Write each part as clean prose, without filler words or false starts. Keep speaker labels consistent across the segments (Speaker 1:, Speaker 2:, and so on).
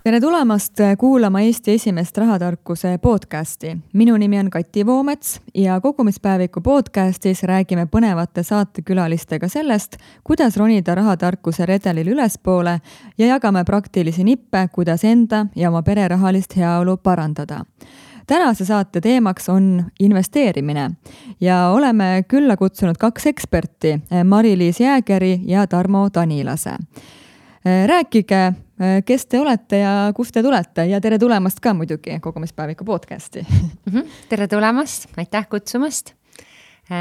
Speaker 1: Tere tulemast kuulama Eesti esimest rahatarkuse podcasti. Minu nimi on Kati Voomets ja kogumispäeviku podcastis räägime põnevate saatekülalistega sellest, kuidas ronida rahatarkuse redelil ülespoole ja jagame praktilisi nippe, kuidas enda ja oma pere rahalist heaolu parandada. Tänase saate teemaks on investeerimine ja oleme külla kutsunud 2 eksperti, Mari-Liis Jäägeri ja Tarmo Tanilase. Rääkige, kes te olete ja kust te tulete ja tere tulemast ka muidugi kogumispäeviku podcasti.
Speaker 2: Tere tulemast, aitäh kutsumast.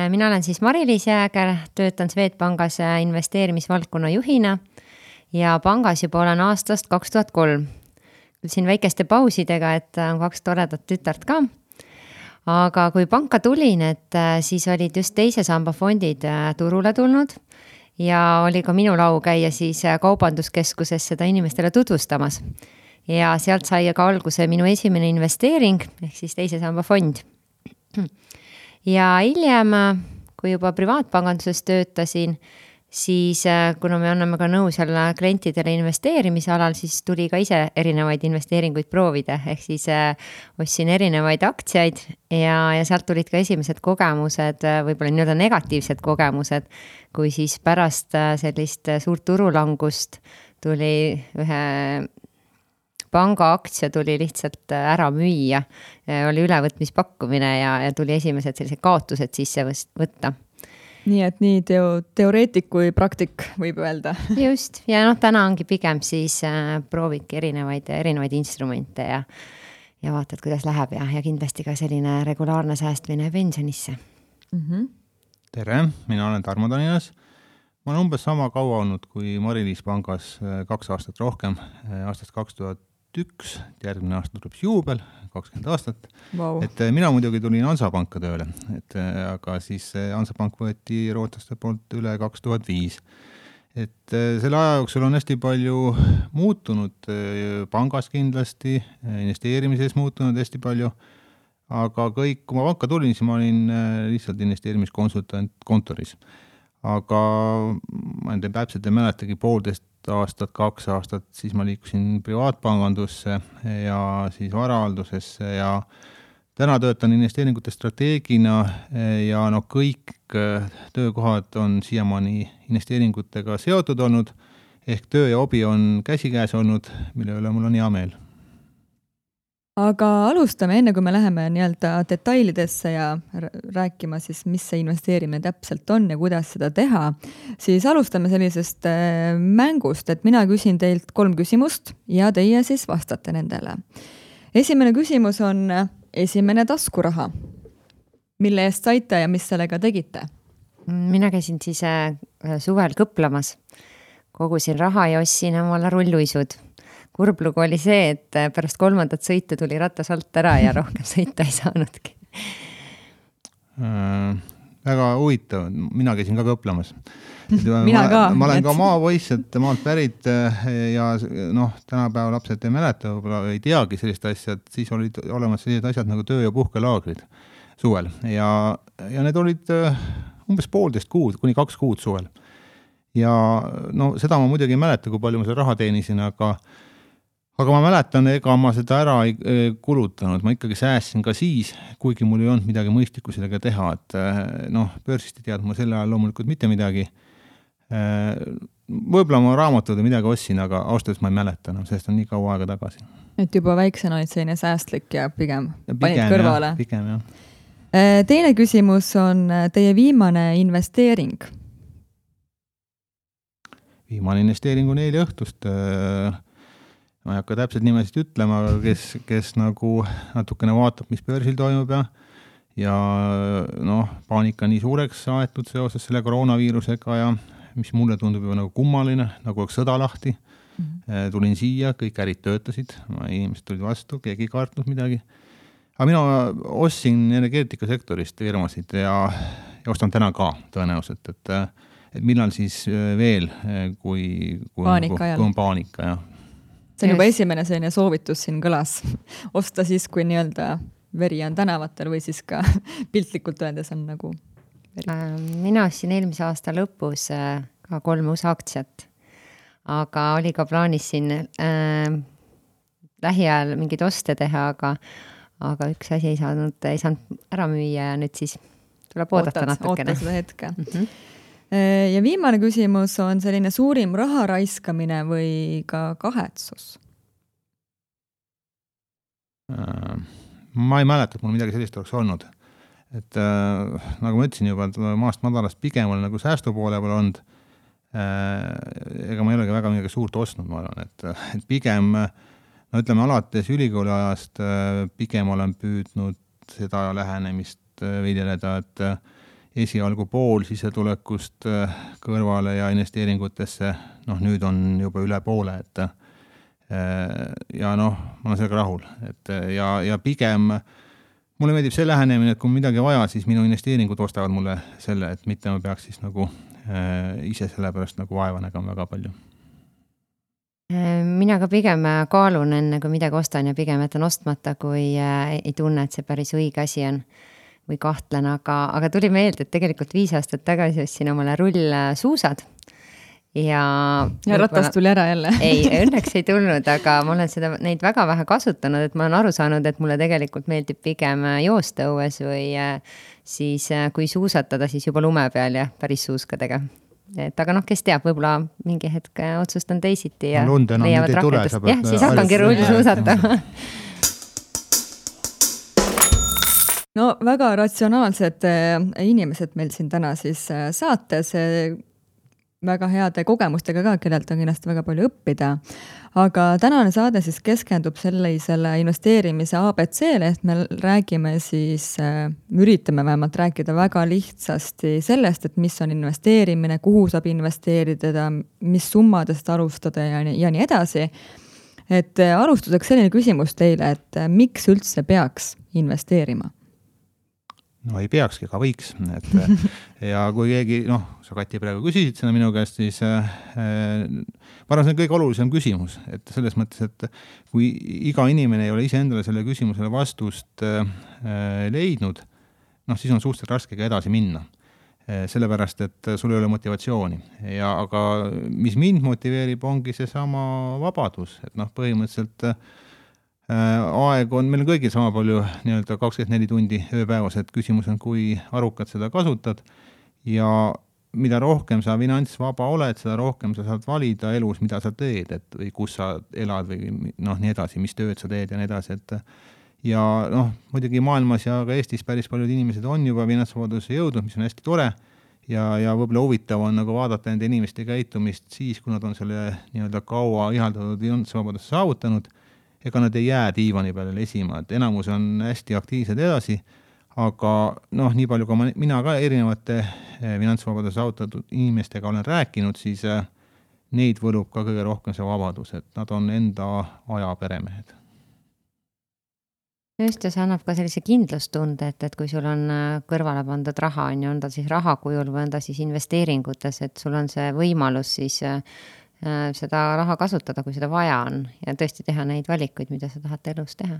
Speaker 2: Mina olen siis Mari-Liis Jääger, töötan Swedbankis investeerimisvaldkonna juhina ja pangas juba olen aastast 2003. Siin väikeste pausidega, et on 2 toredat tütart ka. Aga kui panka tulin, et siis olid just teise samba fondid turule tulnud ja oli ka minu lau käia siis kaubanduskeskuses seda inimestele tutvustamas. Ja sealt sai ka alguse minu esimene investeering, ehk siis teise samba fond. Ja hiljem, kui juba privaatpanganduses töötasin, siis kuna me anname ka nõu seal klientidele investeerimise alal, siis tuli ka ise erinevaid investeeringuid proovida, ehk siis ostsin erinevaid aktsiaid ja sealt tulid ka esimesed kogemused, võib-olla nii-öelda negatiivsed kogemused, kui siis pärast sellist suurt turulangust tuli ühe panga aktsia tuli lihtsalt ära müüa, oli ülevõtmispakkumine ja tuli esimesed sellised kaotused sisse võtta.
Speaker 1: Nii et nii teoreetik kui praktik võib öelda.
Speaker 2: Just, ja täna ongi pigem siis proovidki erinevaid instrumente ja vaatad, kuidas läheb ja kindlasti ka selline regulaarne säästmine pensionisse.
Speaker 3: Tere, mina olen Tarmo Tanilas. Ma olen umbes sama kaua olnud kui Mari-Liis pangas 2 aastat rohkem, aastast 2001, järgmine aasta tuleb juubel, 20 aastat.
Speaker 1: Wow.
Speaker 3: Et mina muidugi tulin Hansapanka tööle, aga siis Hansapank võeti rootslaste poolt üle 2005. Et selle aja jooksul on hästi palju muutunud, pangas kindlasti, investeerimises muutunud hästi palju, aga kõik, kui ma panka tulin, siis ma olin lihtsalt investeerimiskonsultant kontoris. Aga ma täpselt ei mäletagi 1,5 aastat, 2 aastat, siis ma liikusin privaatpangandusse ja siis varahaldusesse ja täna töötan investeeringute strateegina ja kõik töökohad on siiamaani investeeringutega seotud olnud, ehk töö ja hobi on käsikäes olnud, mille üle mul on hea meel.
Speaker 1: Aga alustame enne, kui me läheme nii-öelda detailidesse ja rääkima siis, mis see investeerimine täpselt on ja kuidas seda teha, siis alustame sellisest mängust, et mina küsin teilt 3 küsimust ja teie siis vastate nendele. Esimene küsimus on esimene taskuraha. Mille eest saite ja mis sellega tegite?
Speaker 2: Mina käisin siis suvel kõplamas, kogusin raha ja ostsin omale rulluisud. Kurblugu oli see, et pärast 3. sõitu tuli ratas alt ära ja rohkem sõita ei saanudki.
Speaker 3: Väga huvitav, mina käisin ka kõplamas.
Speaker 1: Mina ka.
Speaker 3: Ma olen ka maapoiss, et maalt pärit ja tänapäeva lapsed ei mäleta, ei teagi sellist asja, et siis olid olemas sellised asjad nagu töö- ja puhkelaagrid suvel ja need olid umbes 1,5 kuud, kuni 2 kuud suvel. Ja seda ma muidugi ei mäleta, kui palju ma seda raha teenisin, aga ma mäletan, ega ma seda ära ei kulutanud. Ma ikkagi säästsin ka siis, kuigi mul ei olnud midagi mõistlikku sellega teha. Et börsist ei teadnud ma selle ajal loomulikult mitte midagi. Võib-olla ma raamatud midagi ostsin, aga ausalt ma ei mäleta, sest on nii kaua aega tagasi.
Speaker 1: Et juba väiksena olid selline säästlik ja pigem panid kõrvale.
Speaker 3: Pigem, jah.
Speaker 1: Teine küsimus on teie viimane investeering.
Speaker 3: Viimane investeering on eile õhtust. Ma ei hakka täpselt nimesid ütlema, kes nagu natukene vaatab, mis börsil toimub ja paanika nii suureks aetud seoses selle koroonaviirusega ja mis mulle tundub juba nagu kummaline, nagu oleks sõda lahti. Tulin siia, kõik ärid töötasid, inimesed tulid vastu, keegi ei kartnud midagi. Aga mina ostsin energeetikasektorist firmasid ja ostan täna ka tõenäoliselt, et millal siis veel, kui on paanika, jah.
Speaker 1: See on juba esimene selline soovitus siin kõlas. Osta siis, kui nii-öelda veri on tänavatel või siis ka piltlikult öeldes on nagu veri.
Speaker 2: Mina ostsin eelmise aasta lõpus ka 3 uus aktsiat, aga oli ka plaanis siin lähiajal mingeid oste teha, aga üks asi ei saanud ära müüa ja nüüd siis tuleb oodata natukene.
Speaker 1: Oota seda hetke. Ja viimane küsimus on selline suurim raha raiskamine või ka kahetsus?
Speaker 3: Ma ei mäleta, et mul midagi sellist oleks olnud. Et nagu ma ütlesin juba, et maast madalast pigem olen nagu säästu poole peal olnud. Ega ma ei olegi väga midagi suurt ostnud, ma arvan, et pigem, no ütleme alates ülikooli ajast pigem olen püüdnud seda lähenemist viideleda, et esialgu pool sisetulekust kõrvale ja investeeringutesse, noh nüüd on juba üle poole, et ja noh, ma olen sellega rahul, et ja pigem mulle meeldib see lähenemine, et kui midagi vaja, siis minu investeeringud ostavad mulle selle, et mitte ma peaks siis nagu ise selle pärast nagu vaeva nägema väga palju.
Speaker 2: Mina ka pigem kaalun enne, kui midagi ostan ja pigem jätan ostmata, kui ei tunne, et see päris õige asi on või kahtlen, aga tuli meelde, et tegelikult 5 aastat tagasi ostsin omale rullsuusad ja
Speaker 1: ratas tuli ära jälle.
Speaker 2: Ei, õnneks ei tulnud, aga ma olen neid väga vähe kasutanud, et ma olen aru saanud, et mulle tegelikult meeldib pigem joosta õues või siis kui suusatada, siis juba lume peal ja päris suuskadega. Et aga noh, kes teab, võib-olla mingi hetk otsustan teisiti ja leiavad rakendust. Jah, siis hakkangi rullsuusatama.
Speaker 1: No väga ratsionaalsed inimesed meil siin täna siis saates, väga heade kogemustega ka, kellelt on kindlasti väga palju õppida. Aga tänane saade siis keskendub sellisele investeerimise ABC-le, et me räägime siis, üritame vähemalt rääkida väga lihtsasti sellest, et mis on investeerimine, kuhu saab investeerida, mis summadest alustada ja nii edasi. Et alustuseks selline küsimus teile, et miks üldse peaks investeerima?
Speaker 3: No ei peakski, aga võiks. Ja kui keegi, sa Kati praegu küsisid seda minu käest, siis ma arvan, see on kõige olulisem küsimus. Et selles mõttes, et kui iga inimene ei ole ise endale selle küsimusele vastust leidnud, siis on suhteliselt raske ka edasi minna. Sellepärast, et sul ei ole motivatsiooni. Aga mis mind motiveerib, ongi see sama vabadus. Et põhimõtteliselt aeg on, meil on kõigil sama palju 24 tundi ööpäevas, et küsimus on, kui arukad seda kasutad ja mida rohkem sa finantsvaba oled, seda rohkem sa saad valida elus, mida sa teed, et või kus sa elad või nii edasi, mis tööd sa teed ja nii edasi, et ja muidugi maailmas ja ka Eestis päris paljud inimesed on juba finantsvabaduse jõudnud, mis on hästi tore ja võib-olla huvitav on nagu vaadata nende inimeste käitumist siis, kui nad on selle kaua ihaldatud finantsvabaduse saavutanud. Ega nad ei jää diivani peale lesima, et enamus on hästi aktiivsed edasi, aga nii palju kui mina ka erinevate finantsvabaduse saavutatud inimestega olen rääkinud, siis neid võlub ka kõige rohkem see vabadus, et nad on enda aja peremehed.
Speaker 2: Just ja see annab ka sellise kindlustunde, et kui sul on kõrvale pandud raha, on ta siis raha kujul või on ta siis investeeringutes, et sul on see võimalus siis seda raha kasutada, kui seda vaja on ja tõesti teha neid valikuid, mida sa tahad elus teha.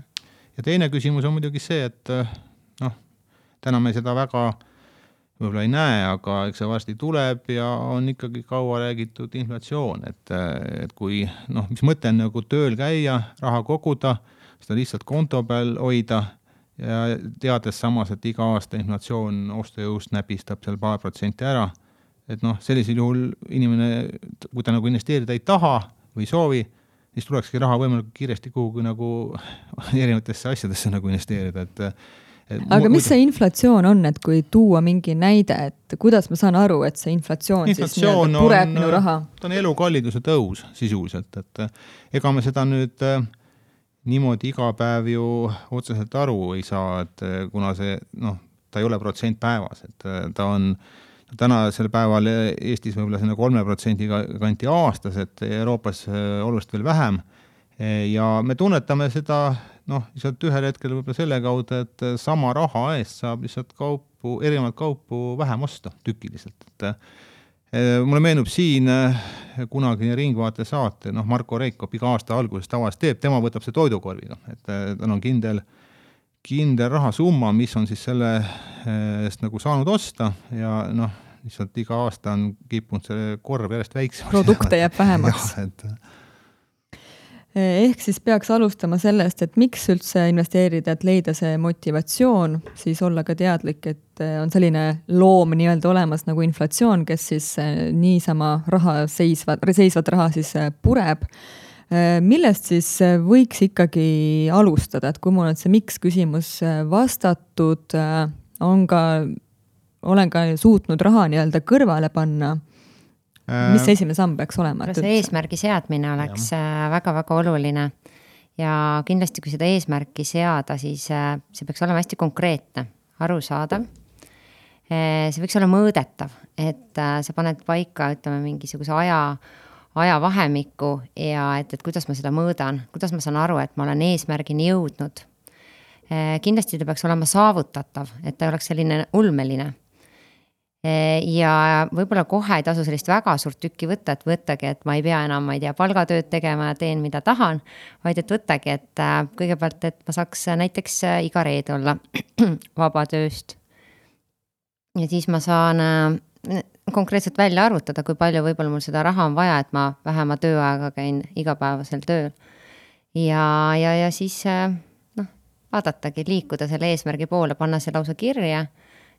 Speaker 3: Ja teine küsimus on muidugi see, et täna me seda väga võib-olla ei näe, aga eks see varsti tuleb ja on ikkagi kaua räägitud inflatsioon, et kui, mis mõte on nagu tööl käia, raha koguda, seda lihtsalt konto peal hoida ja teades samas, et iga aasta inflatsioon ostujõust näpistab seal paar protsenti ära, et sellisel juhul inimene, kui ta nagu investeerida ei taha või soovi, siis tulekski raha võimalikult kiiresti kuhugi nagu erinevatesse asjadesse nagu investeerida.
Speaker 1: Aga mis see inflatsioon on, et kui tuua mingi näide, et kuidas ma saan aru, et see inflatsioon siis pureb minu raha?
Speaker 3: Ta on elukalliduse tõus sisuliselt, et ega me seda nüüd niimoodi iga päev ju otseselt aru ei saa, et kuna see, ta ei ole protsent päevas, et ta on tänasel päeval Eestis võib-olla 3% kanti aastas, et Euroopas oluliselt veel vähem. Ja me tunnetame seda lihtsalt ühel hetkel võib-olla selle kaudu, et sama raha eest saab lihtsalt erinevat kaupu vähem osta tükiliselt. Mulle meenub siin kunagi Ringvaate saate, Marko Reikop iga aasta alguses tavaliselt teeb, tema võtab see toidukorviga, et tal on kindel rahasumma, mis on siis selle eest nagu saanud osta ja lihtsalt iga aasta on kippunud see korv järjest väiksemaks.
Speaker 1: Produkte jääb vähemaks. Ehk siis peaks alustama sellest, et miks üldse investeerida, et leida see motivatsioon, siis olla ka teadlik, et on selline loom nii-öelda olemas nagu inflatsioon, kes siis niisama seisvat raha siis pureb. Millest siis võiks ikkagi alustada, et kui mul on see miks küsimus vastatud, olen ka suutnud raha nii-öelda kõrvale panna, mis esimene samm peaks olema?
Speaker 2: See eesmärgi seadmine oleks väga-väga oluline ja kindlasti, kui seda eesmärki seada, siis see peaks olema hästi konkreetne, arusaadav. See võiks olla mõõdetav, et sa paned paika, ütleme, mingisuguse ajavahemikku ja et kuidas ma seda mõõdan, kuidas ma saan aru, et ma olen eesmärgini jõudnud. Kindlasti ta peaks olema saavutatav, et ta oleks selline ulmeline. Ja võib-olla kohe ei tasu sellist väga suurt tükki võtta, et võttagi, et ma ei pea enam, palgatööd tegema ja teen, mida tahan, vaid et võttagi, et kõigepealt, et ma saaks näiteks iga reede olla vaba tööst. Ja siis ma saan konkreetselt välja arvutada, kui palju võib-olla mul seda raha on vaja, et ma vähema tööaega käin igapäevasel tööl. Ja siis vaadatagi, liikuda selle eesmärgi poole, panna see lausa kirja,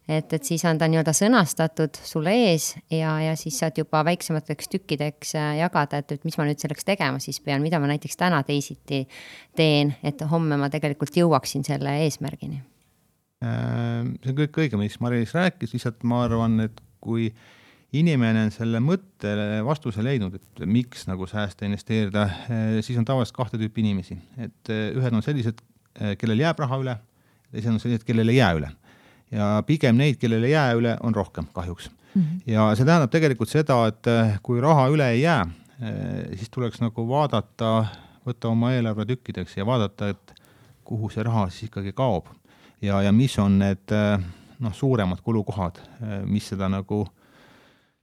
Speaker 2: et siis on ta nii-öelda sõnastatud sulle ees ja siis saad juba väiksemateks tükkideks jagada, et mis ma nüüd selleks tegema siis pean, mida ma näiteks täna teisiti teen, et homme ma tegelikult jõuaksin selle eesmärgini.
Speaker 3: See on kõik õige, mis Mari-Liis rääkis, lihtsalt ma arvan, et kui inimene on selle mõttele vastuse leidnud, et miks nagu säästa investeerida, siis on tavaliselt 2 tüüpi inimesi. Et ühed on sellised, kellel jääb raha üle, teised on sellised, kellel ei jää üle. Ja pigem neid, kellel ei jää üle, on rohkem kahjuks. Ja see tähendab tegelikult seda, et kui raha üle ei jää, siis tuleks nagu vaadata, võtta oma eelarve tükkideks ja vaadata, et kuhu see raha siis ikkagi kaob. Ja mis on need suuremad kulukohad, mis seda nagu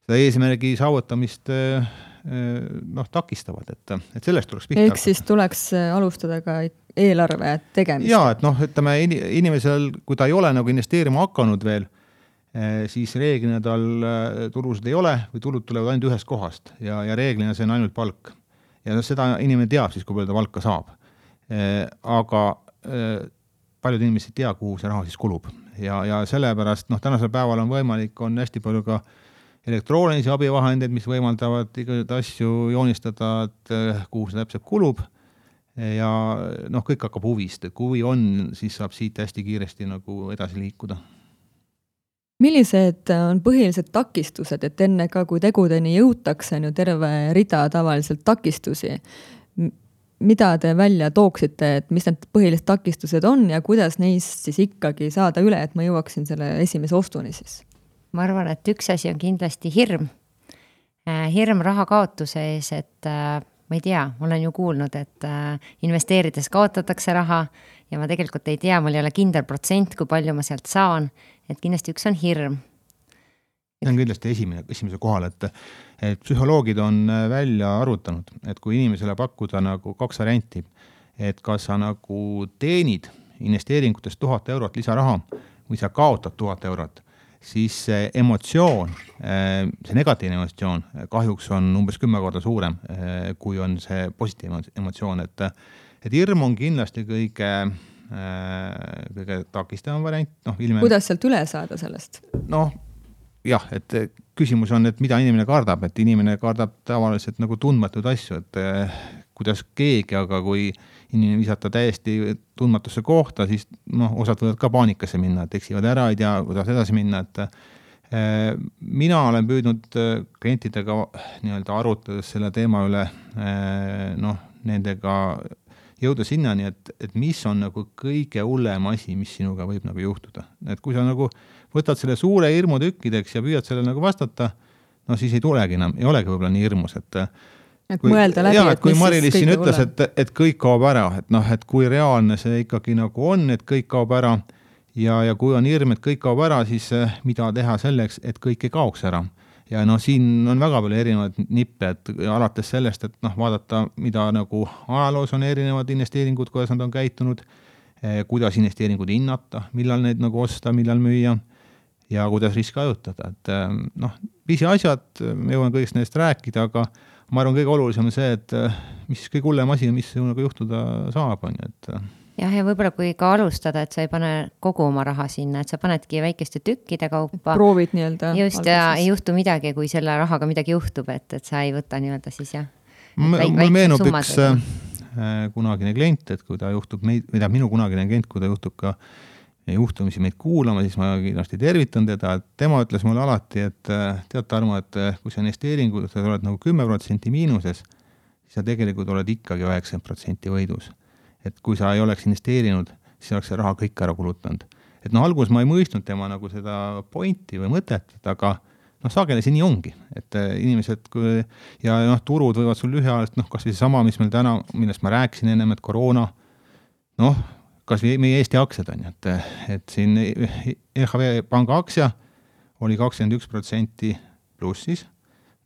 Speaker 3: seda eesmärgi saavutamist takistavad, et sellest tuleks pihta.
Speaker 1: Ehk siis tuleks alustada ka eelarve tegemist.
Speaker 3: Jaa, et ütleme, inimesel, kui ta ei ole nagu investeerima hakanud veel, siis reeglina tal tulusid ei ole või tulud tulevad ainult ühest kohast ja reeglina see on ainult palk. Ja seda inimene teab siis, kui palju ta palka saab. Aga paljud inimesed ei tea, kuhu see raha siis kulub. Ja sellepärast, tänasel päeval on võimalik, on hästi palju ka elektroonilisi abivahendeid, mis võimaldavad igasuguseid asju joonistada, et kuhu see täpselt kulub. Ja kõik hakkab huvist, et kui huvi on, siis saab siit hästi kiiresti nagu edasi liikuda.
Speaker 1: Millised on põhilised takistused, et enne ka kui tegudeni jõutakse on ju terve rida tavaliselt takistusi? Mida te välja tooksite, et mis need põhilised takistused on ja kuidas neist siis ikkagi saada üle, et ma jõuaksin selle esimese ostuni siis?
Speaker 2: Ma arvan, et üks asi on kindlasti hirm. Hirm raha kaotuse ees, et ma ei tea, olen ju kuulnud, et investeerides kaotatakse raha ja ma tegelikult ei tea, mul ei ole kindel protsent, kui palju ma sealt saan, et kindlasti üks on hirm.
Speaker 3: See on kindlasti esimese kohal, et psühholoogid on välja arvutanud, et kui inimesele pakkuda nagu 2 varianti, et kas sa nagu teenid investeeringutest 1000 eurot lisaraha või sa kaotad 1000 eurot, siis see emotsioon, see negatiivne emotsioon kahjuks on umbes 10 korda suurem, kui on see positiivne emotsioon, et hirm on kindlasti kõige takistavam variant.
Speaker 1: Kuidas sealt üle saada sellest?
Speaker 3: Jah, et küsimus on, et mida inimene kardab, et inimene kardab tavaliselt nagu tundmatuid asju, et kuidas keegi, aga kui inimene visata täiesti tundmatusse kohta, siis osad võivad ka paanikasse minna, et eksivad ära, ei tea, kuidas edasi minna, et mina olen püüdnud klientidega nii-öelda arutades selle teema üle, nendega jõuda sinnani, et mis on nagu kõige hullem asi, mis sinuga võib nagu juhtuda. Et kui sa nagu võtad selle suure hirmu tükkideks ja püüad selle nagu vastata, siis ei tulegi enam, ei olegi võib-olla nii hirmus, et
Speaker 1: mõelda läbi,
Speaker 3: et kui Mari-Liis siin ütles, et kõik kaob ära, et kui reaalne see ikkagi nagu on, et kõik kaob ära ja kui on hirm, et kõik kaob ära, siis mida teha selleks, et kõik ei kaoks ära. Ja siin on väga palju erinevad nippe, et alates sellest, et vaadata, mida nagu ajaloos on erinevad investeeringud, kuidas nad on käitunud, kuidas investeeringud hinnata, millal neid nagu osta, millal müüa ja kuidas riske ajutada. Et pisi asjad, me jõuan kõigest neist rääkida, ma arvan, kõige olulisem on see, et mis kõige hullem asi, mis nagu juhtuda saab, on ju, et
Speaker 2: jah, ja võib-olla kui ka alustada, et sa ei pane kogu oma raha sinna, et sa panedki väikeste tükkide kaupa.
Speaker 1: Proovid nii-öelda.
Speaker 2: Just, ja ei juhtu midagi, kui selle rahaga midagi juhtub, et sa ei võta nii-öelda siis jah.
Speaker 3: Mul meenub üks kunagine klient, et kui ta juhtub minu kunagine klient, kui ta juhtub ka juhtumisi meid kuulama, siis ma kindlasti tervitan teda, et tema ütles mulle alati, et tead, Tarmo, et kui sa investeeringu, sa oled nagu 10% miinuses, siis sa tegelikult oled ikkagi 90% võidus. Et kui sa ei oleks investeerinud, siis oleks see raha kõik ära kulutanud. Et alguses ma ei mõistnud tema nagu seda pointi või mõtet, aga sageli see nii ongi, et inimesed ja turud võivad sul lühiajaliselt, kas või see sama, mis meil täna, millest ma rääkisin ennem, et koroona, kas või meie Eesti aktsiad on, et siin LHV panga aktsia oli 21% plussis,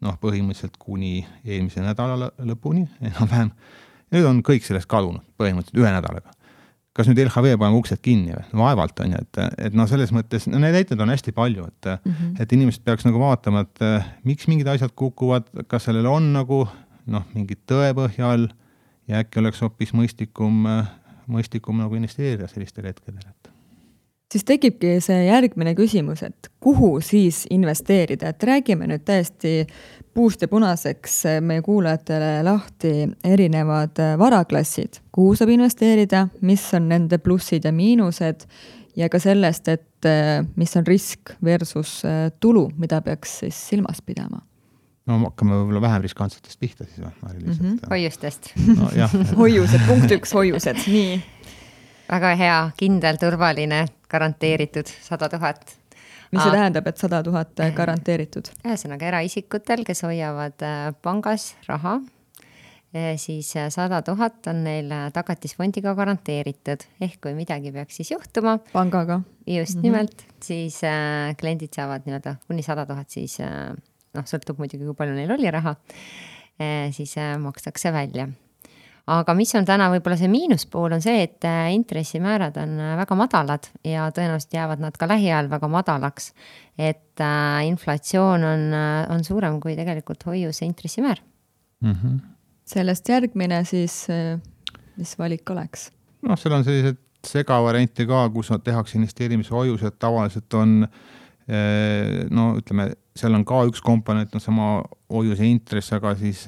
Speaker 3: põhimõtteliselt kuni eelmise nädala lõpuni, enam-vähem. Nüüd on kõik sellest kadunud, põhimõtteliselt 1 nädalaga. Kas nüüd LHV paneb uksed kinni või? Vaevalt on ju, et selles mõttes, need näited on hästi palju, et inimesed peaks nagu vaatama, et miks mingid asjad kukuvad, kas sellel on nagu mingid tõepõhjal ja äkki oleks hoopis mõistlikum nagu investeerida sellistel hetkedel.
Speaker 1: Siis tekibki see järgmine küsimus, et kuhu siis investeerida, et räägime nüüd täiesti puust ja punaseks meie kuulajatele lahti erinevad varaklassid, kuhu saab investeerida, mis on nende plussid ja miinused ja ka sellest, et mis on risk versus tulu, mida peaks siis silmas pidama.
Speaker 3: Hakkame võib-olla vähem riskantsetest pihta siis või?
Speaker 2: Hoiustest.
Speaker 1: Hoiused, punkt 1, hoiused, nii.
Speaker 2: Väga hea, kindel, turvaline, garanteeritud 100 000.
Speaker 1: Mis see tähendab, et 100 000 garanteeritud?
Speaker 2: Ühesõnaga eraisikutel, kes hoiavad pangas raha, siis 100 000 on neil tagatisfondiga garanteeritud. Ehk kui midagi peaks siis juhtuma.
Speaker 1: Pangaga.
Speaker 2: Just nimelt, siis kliendid saavad kuni 100 000, siis sõltub muidugi, kui palju neil oli raha, siis makstakse välja. Aga mis on täna võib-olla see miinuspool on see, et intressimäärad on väga madalad ja tõenäoliselt jäävad nad ka lähiajal väga madalaks. Et inflatsioon on suurem kui tegelikult hoiuse intressimäär.
Speaker 1: Sellest järgmine siis, mis valik oleks?
Speaker 3: Seal on sellised segavarianti ka, kus tehakse investeerimise hoiused, tavaliselt on ütleme, seal on ka üks komponent, sama hoiuse intress, aga siis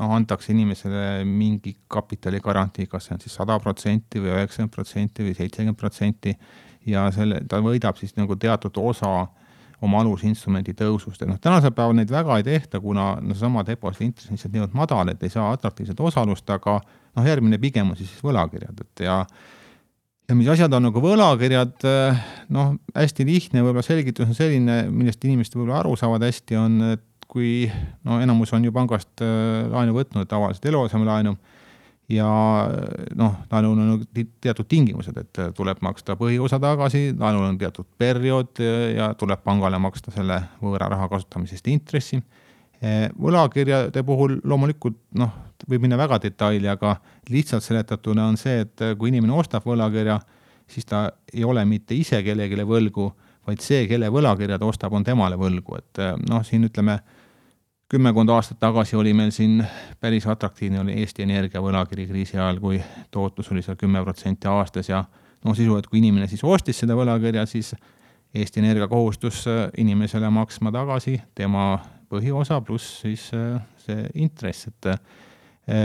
Speaker 3: antakse inimesele mingi kapitali garantii, kas see on siis 100% või 90% või 70% ja ta võidab siis nagu teatud osa oma alusinstrumendi tõusust. Tänasel päeval neid väga ei tehta, kuna sama depositi intress on lihtsalt niivõrd madal, et ei saa atraktiivset osalust, aga järgmine pigem on siis võlakirjad. Ja mis asjad on nagu võlakirjad, hästi lihtne võib-olla selgitus on selline, millest inimesed võib-olla aru saavad hästi, on, et kui enamus on ju pangast laenu võtnud, tavaliselt eluasemelaenu ja laenul on teatud tingimused, et tuleb maksta põhiosa tagasi, laenul on teatud periood ja tuleb pangale maksta selle võõra raha kasutamisest intressi. Võlakirjade puhul loomulikult võib minna väga detaili, aga lihtsalt seletatuna on see, et kui inimene ostab võlakirja, siis ta ei ole mitte ise kellegile võlgu, vaid see, kelle võlakirjad ostab, on temale võlgu. Et siin ütleme, 10 aastat tagasi oli meil siin päris atraktiivne oli Eesti Energia võlakiri kriisi ajal, kui tootlus oli seal 10% aastas ja sisu, et kui inimene siis ostis seda võlakirja, siis Eesti Energia kohustus inimesele maksma tagasi tema põhiosa pluss siis see intress, et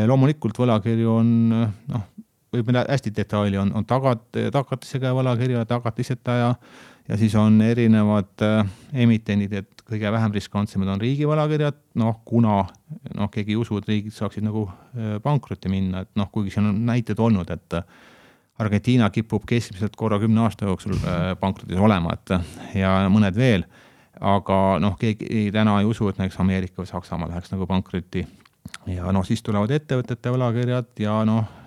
Speaker 3: loomulikult võlakirju on, võib minna hästi detaili, on tagatisega võlakirja, tagatiseta ja siis on erinevad emitendid, et kõige vähem riskantsemad on riigi võlakirjad, kuna keegi ei usu, et riigid saaksid nagu pankrotti minna, et kuigi siin on näited olnud, et Argentiina kipub keskmiselt korra 10 aasta jooksul pankrotis olema, ja mõned veel, aga keegi täna ei usu, et näiteks Ameerika või Saksamaa läheks nagu pankrotti ja siis tulevad ettevõtete võlakirjad ja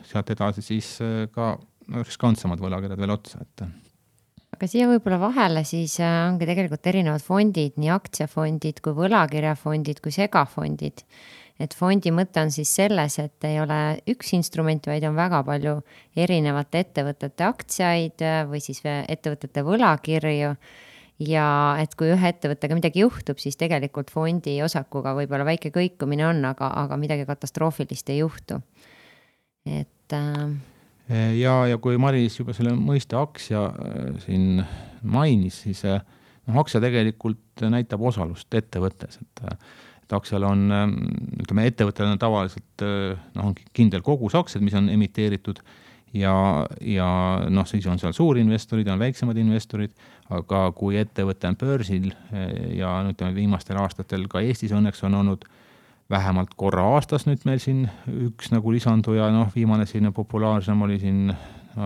Speaker 3: sealt edasi siis ka riskantsemad võlakirjad veel otsa,
Speaker 2: Aga siia võib-olla vahele siis ongi tegelikult erinevad fondid, nii aktsiafondid kui võlakirjafondid kui segafondid. Et fondi mõte on siis selles, et ei ole üks instrument, vaid on väga palju erinevate ettevõtete aktsiaid või siis ettevõtete võlakirju ja et kui ühe ettevõttega midagi juhtub, siis tegelikult fondi osakuga võib-olla väike kõikumine on, aga midagi katastroofilist ei juhtu. Et
Speaker 3: ja kui Maris juba selle mõiste aktsia siin mainis, siis aktsia tegelikult näitab osalust ettevõttes, et aktsial on, ütleme, ettevõttel on tavaliselt on kindel kogus aktsiad, mis on emiteeritud ja siis on seal suurinvestorid, on väiksemad investorid, aga kui ettevõte on börsil ja ütleme, viimastel aastatel ka Eestis õnneks on olnud vähemalt korra aastas nüüd meil siin üks nagu lisanduja, viimane selline populaarsem oli siin,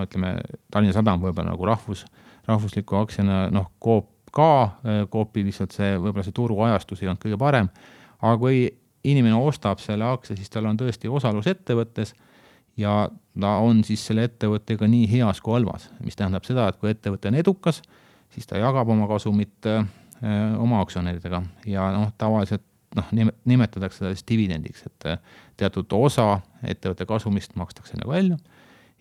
Speaker 3: ütleme, Tallinna Sadam võib-olla nagu rahvusliku aktsiana, Coopi lihtsalt võib-olla see turuajastus ei olnud kõige parem, aga kui inimene ostab selle aktsia, siis tal on tõesti osalus ettevõttes ja ta on siis selle ettevõttega nii heas kui halvas, mis tähendab seda, et kui ettevõte on edukas, siis ta jagab oma kasumit oma aktsionäridega ja tavaliselt nimetatakse seda siis dividendiks, et teatud osa ettevõtte kasumist makstakse nagu välja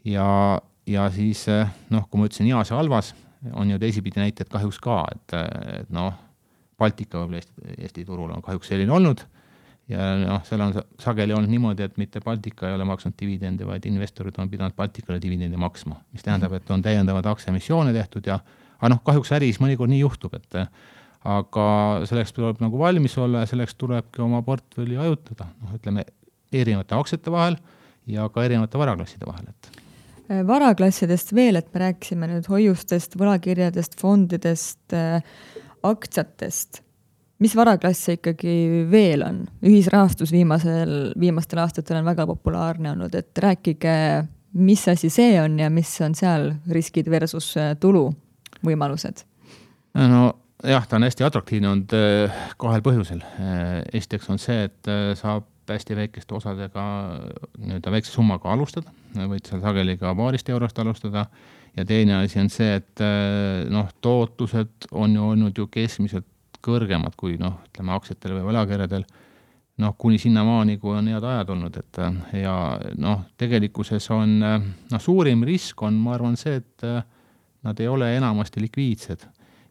Speaker 3: ja siis, kui ma ütlesin heas ja halvas, on ju teisipidi näited kahjuks ka, et Baltika võib-olla Eesti turul on kahjuks selline olnud ja seal on sageli olnud niimoodi, et mitte Baltika ei ole maksnud dividendi, vaid investorid on pidanud Baltikale dividendi maksma, mis tähendab, et on täiendavad aktsiaemissioone tehtud aga kahjuks äris mõnikord nii juhtub, aga selleks tuleb nagu valmis olla ja selleks tulebki oma portfelli ajutada, ütleme, erinevate aktsiate vahel ja ka erinevate varaklasside vahel.
Speaker 1: Varaklassidest veel, et me rääkisime nüüd hoiustest, võlakirjadest, fondidest, aktsiatest. Mis varaklasse ikkagi veel on? Ühisrahastus viimastel aastatel on väga populaarne olnud, et rääkige, mis asi see on ja mis on seal riskid versus tulu võimalused?
Speaker 3: Jah, ta on hästi atraktiivne olnud kahel põhjusel. Esiteks on see, et saab hästi väikeste osadega väikse summaga alustada, võid seal sageli ka paarist eurost alustada ja teine asi on see, et tootlused on ju olnud ju keskmiselt kõrgemad kui ütleme aktsiatel või võlakirjadel, kuni sinnamaani, kui on head ajad olnud, ja tegelikkuses on suurim risk on, ma arvan, see, et nad ei ole enamasti likviidsed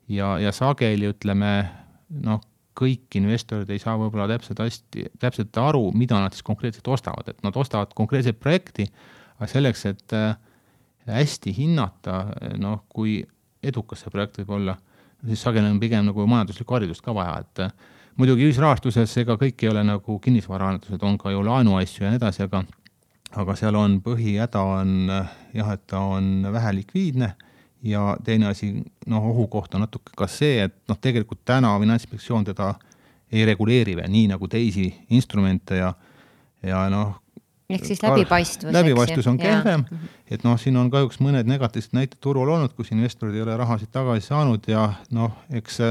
Speaker 3: ja sageli ütleme, kõik investorid ei saa võib-olla täpselt aru, mida nad siis konkreetselt ostavad, et nad ostavad konkreetset projekti, aga selleks, et hästi hinnata, kui edukas see projekt võib olla, siis sageli on pigem nagu majanduslikku haridust ka vaja, et muidugi ühisrahastuses ega kõik ei ole nagu kinnisvaraannetused, on ka ju laenuasju ja nii edasi, aga seal on põhihäda on jah, et ta on vähe likviidne ja teine asi, ohukoht on natuke ka see, et tegelikult täna Finantsinspektsioon teda ei reguleeri veel nii nagu teisi instrumente ja
Speaker 2: ehk siis läbipaistvus.
Speaker 3: Läbipaistvus on kehvem, et siin on kahjuks mõned negatiivsed näited turul olnud, kus investorid ei ole rahasid tagasi saanud ja eks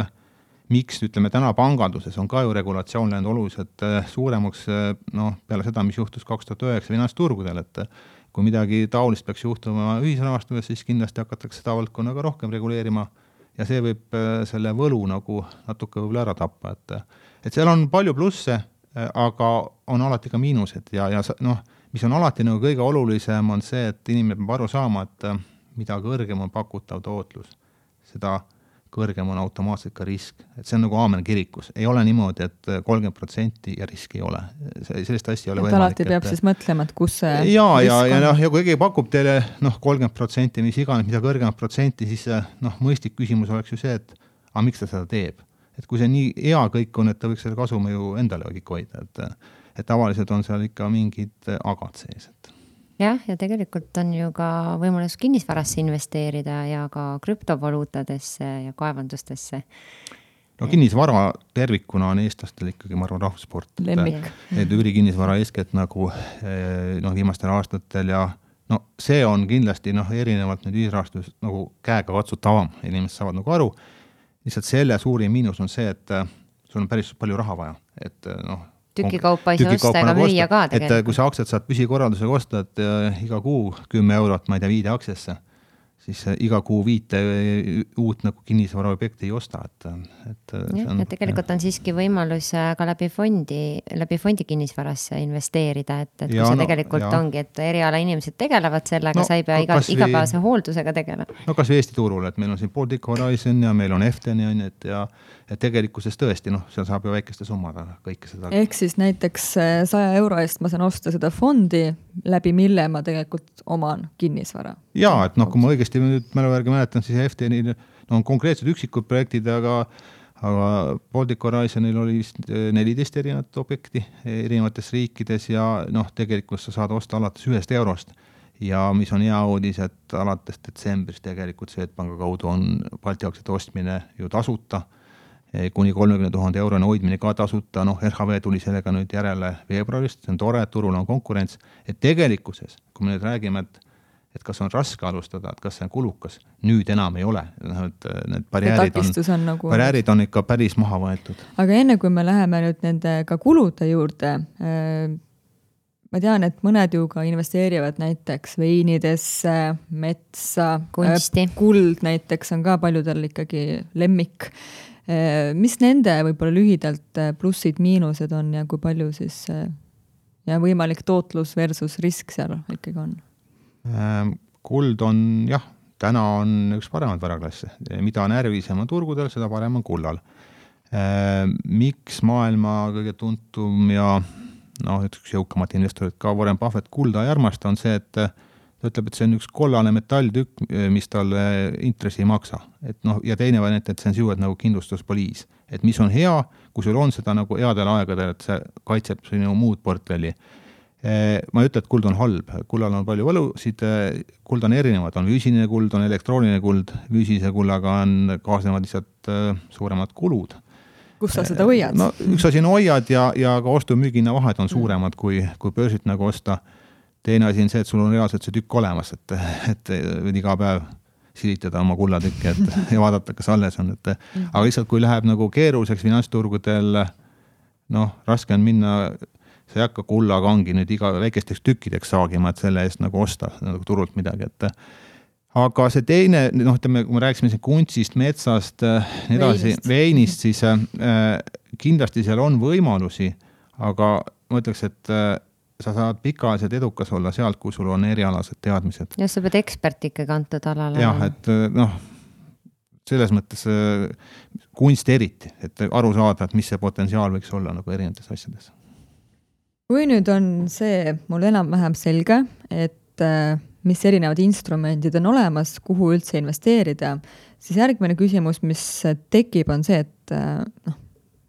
Speaker 3: miks, ütleme, täna panganduses on ka ju regulatsioon läinud oluliselt suuremaks peale seda, mis juhtus 2009 finantsturgudel, et kui midagi taolist peaks juhtuma ühisrahastuses, siis kindlasti hakatakse seda valdkonnaga rohkem reguleerima ja see võib selle võlu nagu natuke võib-olla ära tappa, et seal on palju plusse, aga on alati ka miinused ja mis on alati nagu kõige olulisem on see, et inimene peab aru saama, et mida kõrgem on pakutav tootlus, seda kõrgem on automaatselt ka risk. Et see on nagu aamen kirikus. Ei ole niimoodi, et 30% ja riski ei ole. Sellist asja ei ole võimalik.
Speaker 1: Alati peab siis mõtlema, et kus see
Speaker 3: ja kui keegi pakub teile 30%, mis iganes, mida kõrgemat protsenti, siis mõistlik küsimus oleks ju see, et miks ta seda teeb. Et kui see nii hea kõik on, et ta võiks selle kasumi ju endale kõik hoida. Et tavaliselt on seal ikka mingid agad sees.
Speaker 2: Ja tegelikult on ju ka võimalus kinnisvarasse investeerida ja ka krüptovaluutadesse ja kaevandustesse.
Speaker 3: Kinnisvara tervikuna on eestlastel ikkagi, ma arvan, rahvusport.
Speaker 1: Lemmik.
Speaker 3: Et üürikinnisvara eeskätt nagu viimastel aastatel ja see on kindlasti erinevalt nüüd ühisrahastus nagu käega katsutavam. Inimesed saavad nagu aru. Lihtsalt selle suurim miinus on see, et sul on päris palju raha vaja. Et
Speaker 2: tükikaupa ei saa osta ega müüa ka tegelikult.
Speaker 3: Et kui sa aktsiat saad püsikorraldusega osta, et iga kuu 10 eurot, ma ei tea, 5 aktsiasse, siis iga kuu 5 uut nagu kinnisvaraobjekti ei osta, et
Speaker 2: ja tegelikult on siiski võimalus ka läbi fondi kinnisvarasse investeerida, et kui see tegelikult ongi, et eriala inimesed tegelevad sellega, sa ei pea igapäevase hooldusega tegelema.
Speaker 3: No kas või Eesti turul, et meil on siin Baltic Horizon ja meil on Efteni, et tegelikkuses tõesti, seal saab ju väikeste summada kõike seda.
Speaker 1: Ehk siis näiteks 100 € eest ma saan osta seda fondi, läbi mille ma tegelikult oman kinnisvara.
Speaker 3: Jaa, et kui ma õigesti nüüd mäluvärgi mäletan, siis Eftenil on konkreetsed üksikud projektid, aga Baltic Horizonil oli vist 14 erinevat objekti erinevates riikides ja tegelikult sa saad osta alates 1 eurost. Ja mis on hea uudis, et alates detsembris tegelikult Swedbanka kaudu on Balti aktsiate ostmine ju tasuta, kuni 30 000 € hoidmine ka tasuta, RHV tuli sellega nüüd järele veebruarist, see on tore, et turul on konkurents, et tegelikkuses, kui me nüüd räägime, et kas on raske alustada, et kas see on kulukas, nüüd enam ei ole, need barjäärid on ikka päris maha võetud.
Speaker 1: Aga enne kui me läheme nüüd nende ka kulude juurde, ma tean, et mõned ju ka investeerivad näiteks veinidesse, metsa,
Speaker 2: kunsti.
Speaker 1: Kuld näiteks on ka paljudel ikkagi lemmik. Mis nende võib-olla lühidalt plussid, miinused on ja kui palju siis ja võimalik tootlus versus risk seal ikkagi on?
Speaker 3: Kuld on, täna on üks paremad varaklasse. Mida närvisem on turgudel, seda parem on kullal. Miks maailma kõige tuntum ja üks jõukamat investorid ka Warren Buffett kulda ei armasta on see, et ta ütleb, et see on üks kollane metalltükk, mis talle intressi ei maksa. Ja teine variant, et see on siuad nagu kindlustuspoliis. Et mis on hea, kui sul on seda nagu headel aegadel, et see kaitseb sinu muud portfelli. Ma ei ütle, et kuld on halb. Kullal on palju võlusid, kuld on erinevad. On füüsiline kuld, on elektrooniline kuld. Füüsilise kullaga on kaasnevad lihtsalt suuremad kulud.
Speaker 1: Kus sa seda hoiad?
Speaker 3: Üks asi on hoiad ja ka ostu-müügina vahed on suuremad, kui börsilt nagu osta. Teine asi on see, et sul on reaalselt see tükk olemas, et iga päev silitada oma kullatükki ja vaadata, kas alles on. Aga lihtsalt, kui läheb nagu keeruliseks finantsturgudel, raske on minna, sa ei hakka kullakangi nüüd iga väikesteks tükkideks saagima, et selle eest nagu osta nagu turult midagi. Aga see teine, kui me rääksime kunstist, metsast, veinist, siis kindlasti seal on võimalusi, aga ma ütleks, et sa saad pikaajaliselt edukas olla sealt, kui sul on erialased teadmised.
Speaker 2: Ja sa pead ekspert ikka kantud alale.
Speaker 3: Jah, et selles mõttes kunst eriti, et aru saada, et mis see potentsiaal võiks olla nagu erinevates asjades.
Speaker 1: Kui nüüd on see mul enam-vähem selge, et mis erinevad instrumendid on olemas, kuhu üldse investeerida, siis järgmine küsimus, mis tekib, on see, et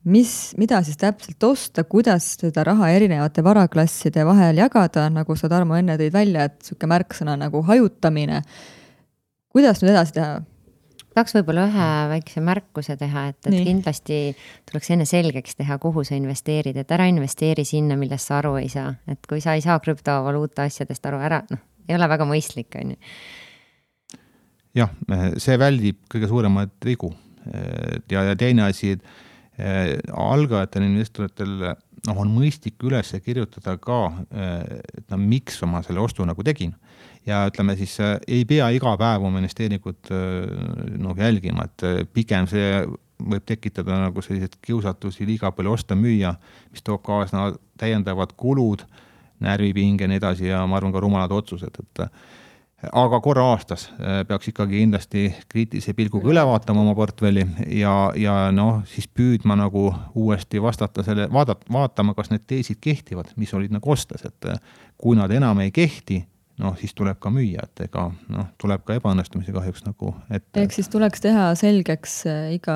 Speaker 1: mida siis täpselt osta, kuidas seda raha erinevate varaklasside vahel jagada, nagu sa, Tarmo, enne tõid välja, et selline märksõna nagu hajutamine. Kuidas nüüd edasi teha?
Speaker 2: Tahaks võib-olla ühe väikse märkuse teha, et kindlasti tuleks enne selgeks teha, kuhu sa investeerid, et ära investeeri sinna, millest sa aru ei saa. Et kui sa ei saa krüptovaluuta asjadest aru ära, ei ole väga mõistlik, on ju.
Speaker 3: Jah, see väldib kõige suuremad vigu. Ja teine asi, algajatel investoritel on mõistlik üles kirjutada ka, et miks ma selle ostu nagu tegin. Ja ütleme siis, ei pea iga päev oma investeeringut jälgima, et pigem see võib tekitada nagu sellised kiusatusi liiga palju osta müüa, mis toob kaasna täiendavad kulud, närvipinge ja nii edasi ja ma arvan ka rumalad otsused, aga korra aastas peaks ikkagi kindlasti kriitilise pilguga üle vaatama oma portfelli ja siis püüdma nagu uuesti vastata selle, vaatama, kas need teesid kehtivad, mis olid nagu ostes, et kui nad enam ei kehti, siis tuleb ka müüa, et tuleb ka ebaõnnestumise kahjuks nagu ette.
Speaker 1: Ehk siis tuleks teha selgeks iga,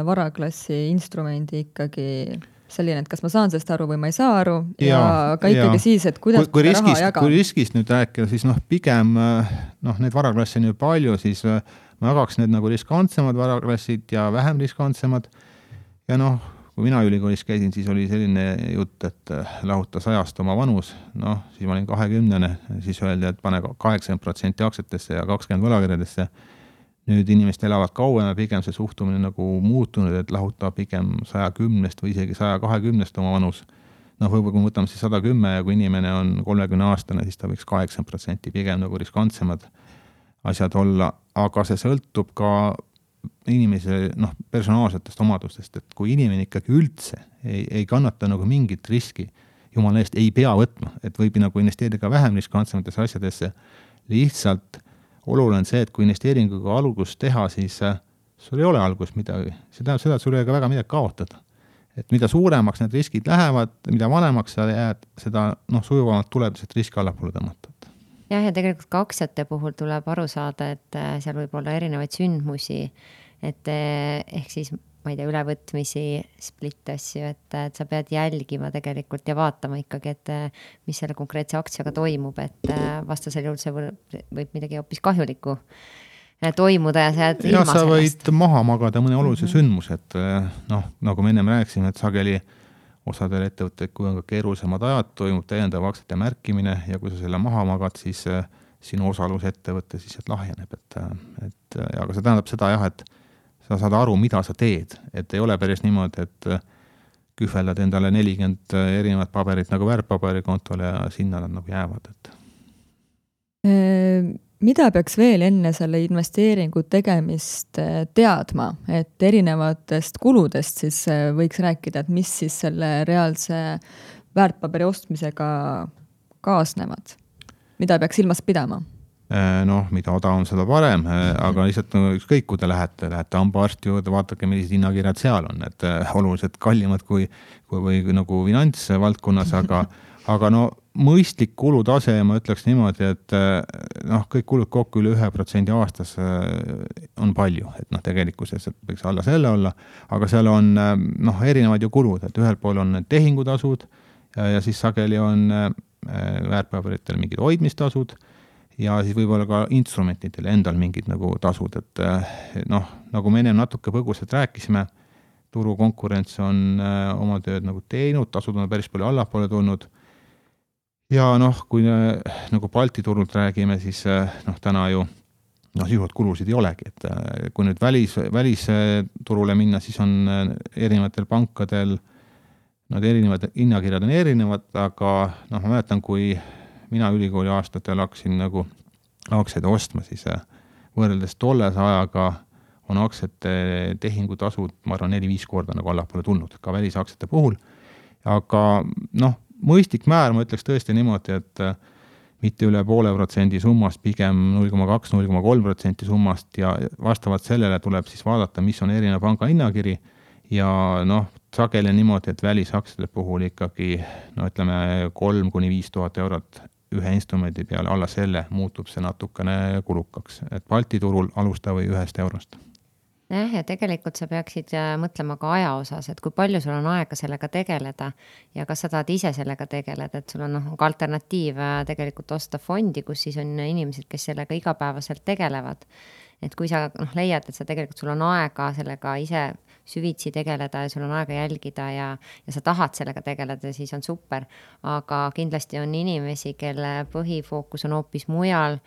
Speaker 1: varaklassi instrumendi ikkagi selline, et kas ma saan sellest aru või ma ei saa aru ja ka ikkagi siis, et kuidas
Speaker 3: kui raha jaga. Kui riskist nüüd rääkida, siis pigem need varaklassi on ju palju, siis ma jagaks need nagu riskantsemad varaklassid ja vähem riskantsemad ja kui mina ülikoolis käisin, siis oli selline jutt, et lahuta 100 oma vanus, siis ma olin 20, siis öeldi, et pane 80% aktsiatesse ja 20 võlakirjadesse. Nüüd inimesed elavad kauem ja pigem see suhtumine nagu muutunud, et lahutab pigem 110 või isegi 120 oma vanus. Võib-olla kui võtame siis 110 ja kui inimene on 30 aastane, siis ta võiks 80% pigem nagu riskantsemad asjad olla, aga see sõltub ka inimese personaalsetest omadustest, et kui inimene ikkagi üldse ei kannata nagu mingit riski, jumala eest ei pea võtma, et võib nagu investeerida ka vähem riskantsematesse asjadesse, lihtsalt oluline on see, et kui investeeringuga algust teha, siis sul ei ole algust midagi, see tähendab seda, et sul ei ole ka väga midagi kaotada. Et mida suuremaks need riskid lähevad, mida vanemaks sa jääd, seda sujuvamalt tuleb lihtsalt riski allapoole tõmmata.
Speaker 2: Jah, ja tegelikult ka aktsiate puhul tuleb aru saada, et seal võib olla erinevaid sündmusi, et ehk siis, ma ei tea, ülevõtmisi, split asju, et sa pead jälgima tegelikult ja vaatama ikkagi, et mis selle konkreetse aktsiaga toimub, et vastasel juhul see võib midagi hoopis kahjulikku toimuda ja sa jääd ilma
Speaker 3: sellest. Ja sa võid maha magada mõne olulise sündmus, et nagu me ennem rääkisime, et sageli osadel ettevõtted, kui on ka keerulisemad ajad, toimub täiendav aktsiate märkimine ja kui sa selle maha magad, siis sinu osalus ettevõtte siis lahjeneb. Aga see tähendab seda jah, et sa saad aru, mida sa teed. Et ei ole päris niimoodi, et kühveldad endale 40 erinevat paberit nagu väärtpaberikontole ja sinna nad nagu jäävad.
Speaker 1: Mida peaks veel enne selle investeeringu tegemist teadma, et erinevatest kuludest siis võiks rääkida, et mis siis selle reaalse väärtpaberi ostmisega kaasnevad? Mida peaks silmas pidama?
Speaker 3: Mida odavam, seda parem, aga lihtsalt ükskõik, kui te lähete hambaarsti juurde, vaadake, millised hinnakirjad seal on, et oluliselt kallimad kui nagu finantsvaldkonnas, aga mõistlik kulutase, ma ütleks niimoodi, et kõik kulud kokku üle 1% aastas on palju, et tegelikkuses võiks alla selle olla, aga seal on erinevad ju kulud, et ühel pool on tehingutasud ja siis sageli on väärtpaberitel mingid hoidmistasud ja siis võib-olla ka instrumentidel endal mingid nagu tasud, et nagu me ennem natuke põgusalt rääkisime, turukonkurents on oma tööd nagu teinud, tasud on päris palju allapoole tulnud. Ja kui nagu Balti turult räägime, siis täna ju sisuliselt kulusid ei olegi, et kui nüüd välisturule minna, siis on erinevatel pankadel erinevad hinnakirjad on erinevad, aga ma mäletan, kui mina ülikooli aastatel hakkasin nagu aktsiaid ostma, siis võrreldes tolles ajaga on aktsiate tehingutasud, ma arvan, 4-5 korda nagu allapoole tulnud, ka välisaktsiate puhul, aga mõistlik määr, ma ütleks tõesti niimoodi, et mitte üle 0,5% summast, pigem 0,2-0,3% summast ja vastavalt sellele tuleb siis vaadata, mis on erinev panga hinnakiri ja sageli niimoodi, et välisaktsiate puhul ikkagi, ütleme 3-5 tuhat eurot ühe instrumendi peale, alla selle muutub see natukene kulukaks, et Balti turul alusta või 1 eurost.
Speaker 2: Ja tegelikult sa peaksid mõtlema ka aja osas, et kui palju sul on aega sellega tegeleda ja kas sa tahad ise sellega tegeleda, et sul on ka alternatiiv tegelikult osta fondi, kus siis on inimesed, kes sellega igapäevaselt tegelevad. Et kui sa leiad, et sa tegelikult sul on aega sellega ise süvitsi tegeleda ja sul on aega jälgida ja sa tahad sellega tegeleda, siis on super. Aga kindlasti on inimesi, kelle põhifookus on hoopis mujal,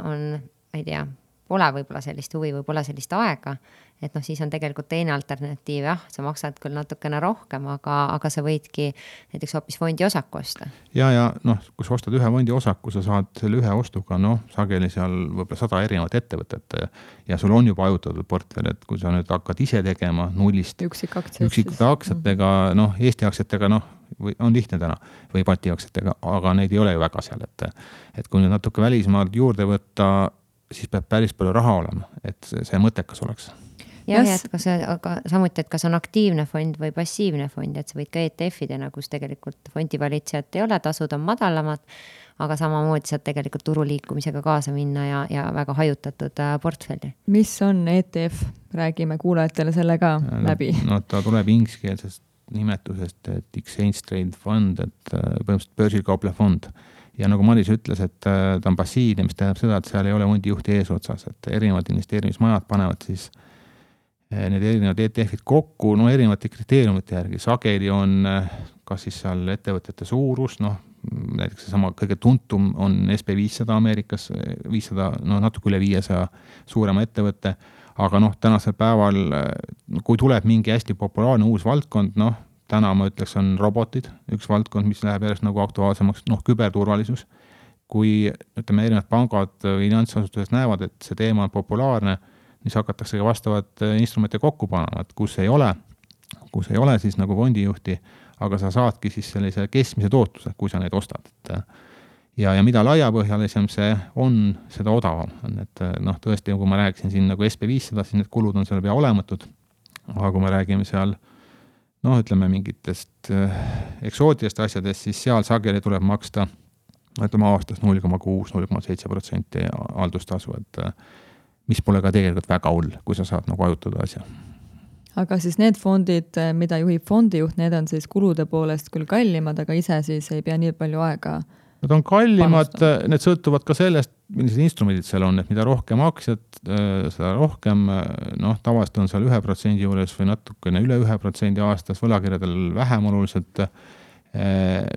Speaker 2: on, ei tea, pole võib-olla sellist huvi või pole sellist aega, et siis on tegelikult teine alternatiiv, sa maksad küll natukene rohkem, aga sa võidki näiteks hoopis fondi osaku osta.
Speaker 3: Ja kui sa ostad ühe fondi osaku, sa saad selle ühe ostuga, sageli seal võib-olla 100 erinevat ettevõtet ja sul on juba ajutatud portfell, et kui sa nüüd hakkad ise tegema nullist üksikute aktsiatega, Eesti aktsiatega, on lihtne täna või Balti aktsiatega, aga neid ei ole ju väga seal, et kui nüüd natuke välismaalt juurde võtta, siis peab päris palju raha olema, et see mõttekas oleks.
Speaker 2: Jah, aga samuti, et kas on aktiivne fond või passiivne fond, et sa võid ka ETF-idena, kus tegelikult fondivalitsejat ei ole, tasud on madalamad, aga samamoodi saad tegelikult turuliikumisega kaasa minna ja väga hajutatud portfelli.
Speaker 1: Mis on ETF? Räägime kuulajatele selle ka läbi.
Speaker 3: Ta tuleb ingliskeelsest nimetusest, et Exchange Trade Fund, et põhimõtteliselt börsil kauplev fond. Ja nagu Maris ütles, et ta on passiivne, mis tähendab seda, et seal ei ole fondijuhti eesotsas, et erinevad investeerimismajad panevad siis need erinevad ETF-id kokku, erinevate kriteeriumite järgi. Sageli on kas siis seal ettevõtete suurus, näiteks sama kõige tuntum on SP500 Ameerikas, 500, natuke üle 500 suurema ettevõtte, aga tänasel päeval, kui tuleb mingi hästi populaarne uus valdkond, täna ma ütleks on robotid, üks valdkond, mis läheb järjest nagu aktuaalsemaks, küberturvalisus. kui ütleme, erinevad pangad või finantsasutused näevad, et see teema on populaarne, siis hakatakse ka vastavad instrumente kokku panema, et kus ei ole, siis nagu fondijuhti, aga sa saadki siis sellise keskmise tootluse, kui sa neid ostad. Ja mida laiapõhjalisem see on, seda odavam on. Et tõesti, kui ma rääkisin siin nagu SP500, siis need kulud on seal pea olematud, aga kui me räägime seal ütleme mingitest eksootidest asjadest, siis seal sageli tuleb maksta aastas 0,6-0,7% haldustasu, et mis pole ka tegelikult väga hull, kui sa saad nagu ajutada asja.
Speaker 1: Aga siis need fondid, mida juhib fondijuht, need on siis kulude poolest küll kallimad, aga ise siis ei pea nii palju aega
Speaker 3: Need on kallimad, need sõltuvad ka sellest, millised instrumendid seal on, et mida rohkem aktsiad, seda rohkem, tavaliselt on seal 1% juures või natukene üle 1% aastas, võlakirjadel vähem oluliselt.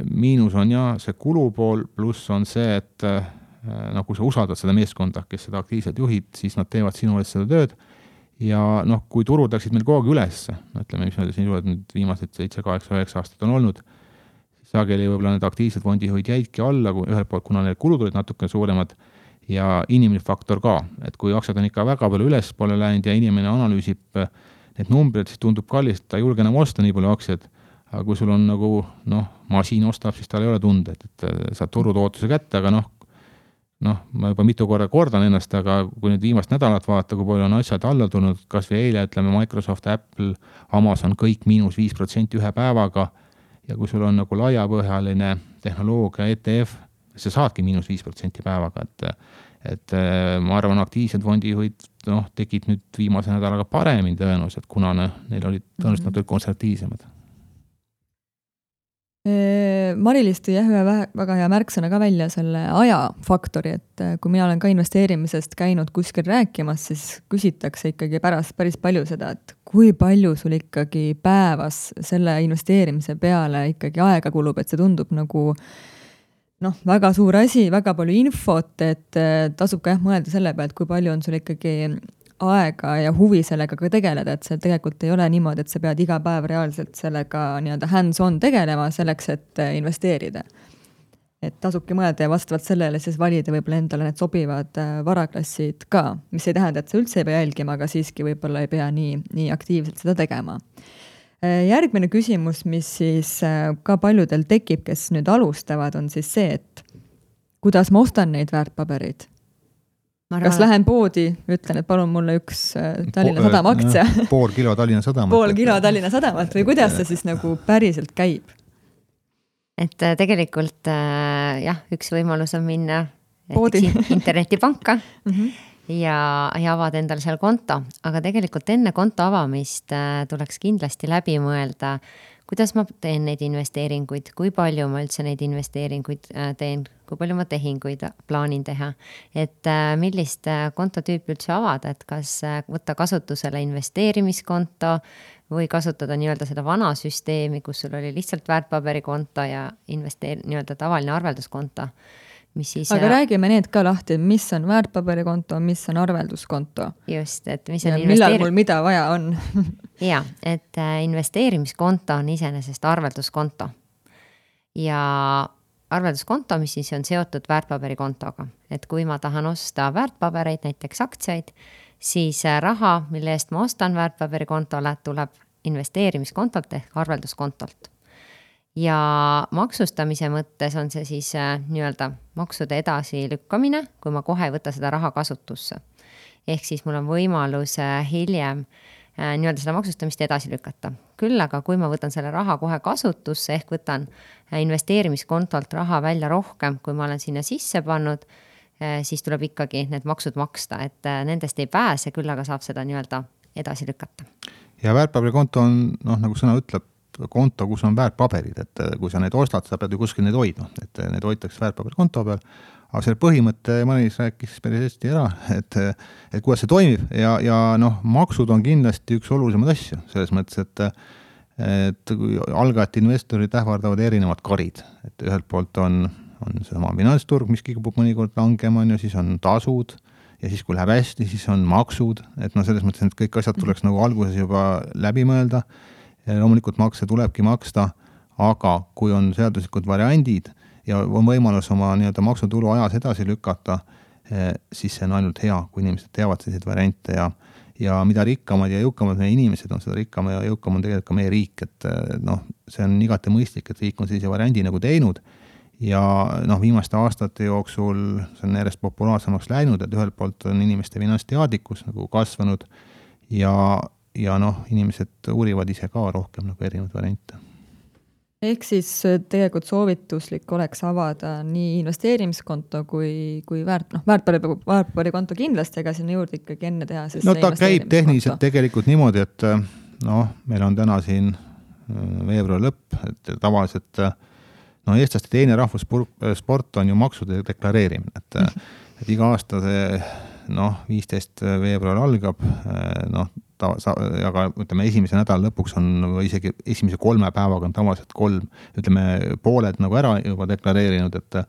Speaker 3: Miinus on see kulupool, pluss on see, et kui sa usaldad seda meeskonda, kes seda aktiivselt juhid, siis nad teevad sinu eest seda tööd. Ja kui turud läksid meil kogu üles, ütleme, mis meil siin nüüd viimased 7, 8, 9 aastat on olnud, sageli võib-olla need aktiivsed fondijuhid jäidki alla, kui ühelt poolt, kuna need kulud olid natuke suuremad ja inimene faktor ka, et kui aktsiad on ikka väga palju üles poole läinud ja inimene analüüsib need numbrid, siis tundub kallist, ta ei julge enam osta nii palju aktsiad, aga kui sul on nagu, masiin ostab, siis tal ei ole tunde, et saad turutootluse kätte, aga ma juba mitu kordan ennast, aga kui nüüd viimast nädalat vaata, kui palju on asjad alla tulnud, kas või eile, ütleme Microsoft, Apple, Amazon, kõik -5% ühe päevaga, ja kui sul on nagu laiapõhjaline tehnoloogia ETF, sa saadki -5% päevaga, et ma arvan, aktiivsed fondijuhid tegid nüüd viimase nädalaga paremini tõenäoliselt, kuna neil olid tõenäoliselt natuke konservatiivsemad.
Speaker 1: Mari-Liis tõi ühe väga hea märksõna ka välja selle ajafaktori, et kui mina olen ka investeerimisest käinud kuskil rääkimas, siis küsitakse ikkagi päris palju seda, et kui palju sul ikkagi päevas selle investeerimise peale ikkagi aega kulub, et see tundub nagu väga suur asi, väga palju infot, et tasub ka mõelda selle pealt, kui palju on sul ikkagi aega ja huvi sellega ka tegeleda, et see tegelikult ei ole niimoodi, et sa pead iga päev reaalselt sellega nii-öelda hands-on tegelema selleks, et investeerida. Et tasubki mõelda ja vastavalt sellele siis valida võib-olla endale need sobivad varaklassid ka, mis ei tähenda, et sa üldse ei pea jälgima, aga siiski võib-olla ei pea nii aktiivselt seda tegema. Järgmine küsimus, mis siis ka paljudel tekib, kes nüüd alustavad, on siis see, et kuidas ma ostan neid väärtpabereid? Kas lähen poodi, ütlen, et palun mulle üks Tallinna Sadama aktsia.
Speaker 3: Pool kilo Tallinna Sadamat.
Speaker 1: Pool kilo Tallinna Sadamat või kuidas see siis nagu päriselt käib?
Speaker 2: Et tegelikult üks võimalus on minna internetipanka ja avada endale seal konto, aga tegelikult enne konto avamist tuleks kindlasti läbi mõelda, kuidas ma teen neid investeeringuid, kui palju ma üldse neid investeeringuid teen, kui palju ma tehinguid plaanin teha, et millist kontotüüpi üldse avada, et kas võtta kasutusele investeerimiskonto või kasutada nii-öelda seda vana süsteemi, kus sul oli lihtsalt väärtpaberikonto ja nii-öelda tavaline arvelduskonto.
Speaker 1: Aga räägime need ka lahti, mis on väärtpaberikonto, mis on arvelduskonto.
Speaker 2: Just, et mis
Speaker 1: on millal mul mida vaja on.
Speaker 2: Ja, et investeerimiskonto on iseenesest arvelduskonto. Ja arvelduskonto, mis siis on seotud väärtpaberikontoga. Et kui ma tahan osta väärtpabereid, näiteks aktsiaid, siis raha, mille eest ma ostan väärtpaberikontole, tuleb investeerimiskontolt ehk arvelduskontolt. Ja maksustamise mõttes on see siis nii-öelda maksude edasi lükkamine, kui ma kohe ei võta seda raha kasutusse. Ehk siis mul on võimalus hiljem nii-öelda seda maksustamist edasi lükata. Küll aga kui ma võtan selle raha kohe kasutusse, ehk võtan investeerimiskontolt raha välja rohkem, kui ma olen sinna sisse pannud, siis tuleb ikkagi need maksud maksta, et nendest ei pääse, küll aga saab seda nii-öelda edasi lükata.
Speaker 3: Ja väärtpaberikonto on, nagu sõna ütleb, konto, kus on väärtpaberid, et kui sa neid ostad, sa pead ju kuskil neid hoidma, et need hoitakse väärtpaberikonto peal, aga selle põhimõtte Maris rääkis päris hästi ära, et kuidas see toimib ja maksud on kindlasti üks olulisemaid asju, selles mõttes, et kui algajad investorid ähvardavad erinevad karid, et ühelt poolt on see oma finantsturg, mis kipub mõnikord langema, siis on tasud ja siis kui läheb hästi, siis on maksud, et selles mõttes, et kõik asjad tuleks nagu alguses juba läbi mõelda. Ja loomulikult makse tulebki maksta, aga kui on seaduslikud variandid ja on võimalus oma nii-öelda maksutulu ajas edasi lükata, siis see on ainult hea, kui inimesed teavad selliseid variante ja mida rikkamad ja jõukamad meie inimesed on, seda rikkam ja jõukam on tegelikult ka meie riik, et see on igati mõistlik, et riik on sellise variandi nagu teinud ja viimaste aastate jooksul see on järjest populaarsemaks läinud, et ühelt poolt on inimeste finantsteadlikkus nagu kasvanud ja inimesed uurivad ise ka rohkem nagu erinevaid variante.
Speaker 1: Ehk siis tegelikult soovituslik oleks avada nii investeerimiskonto kui väärtpaberikonto kindlasti, aga sinna juurde ikkagi enne teha.
Speaker 3: Ta käib tehniliselt tegelikult niimoodi, et meil on täna siin veebruari lõpp, et tavaliselt eestlaste teine rahvussport on ju maksude deklareerimine, et iga aasta see 15. veebruar algab, aga ütleme esimese nädala lõpuks on või isegi esimese 3 päevaga on tavaliselt 3, pooled nagu ära juba deklareerinud, et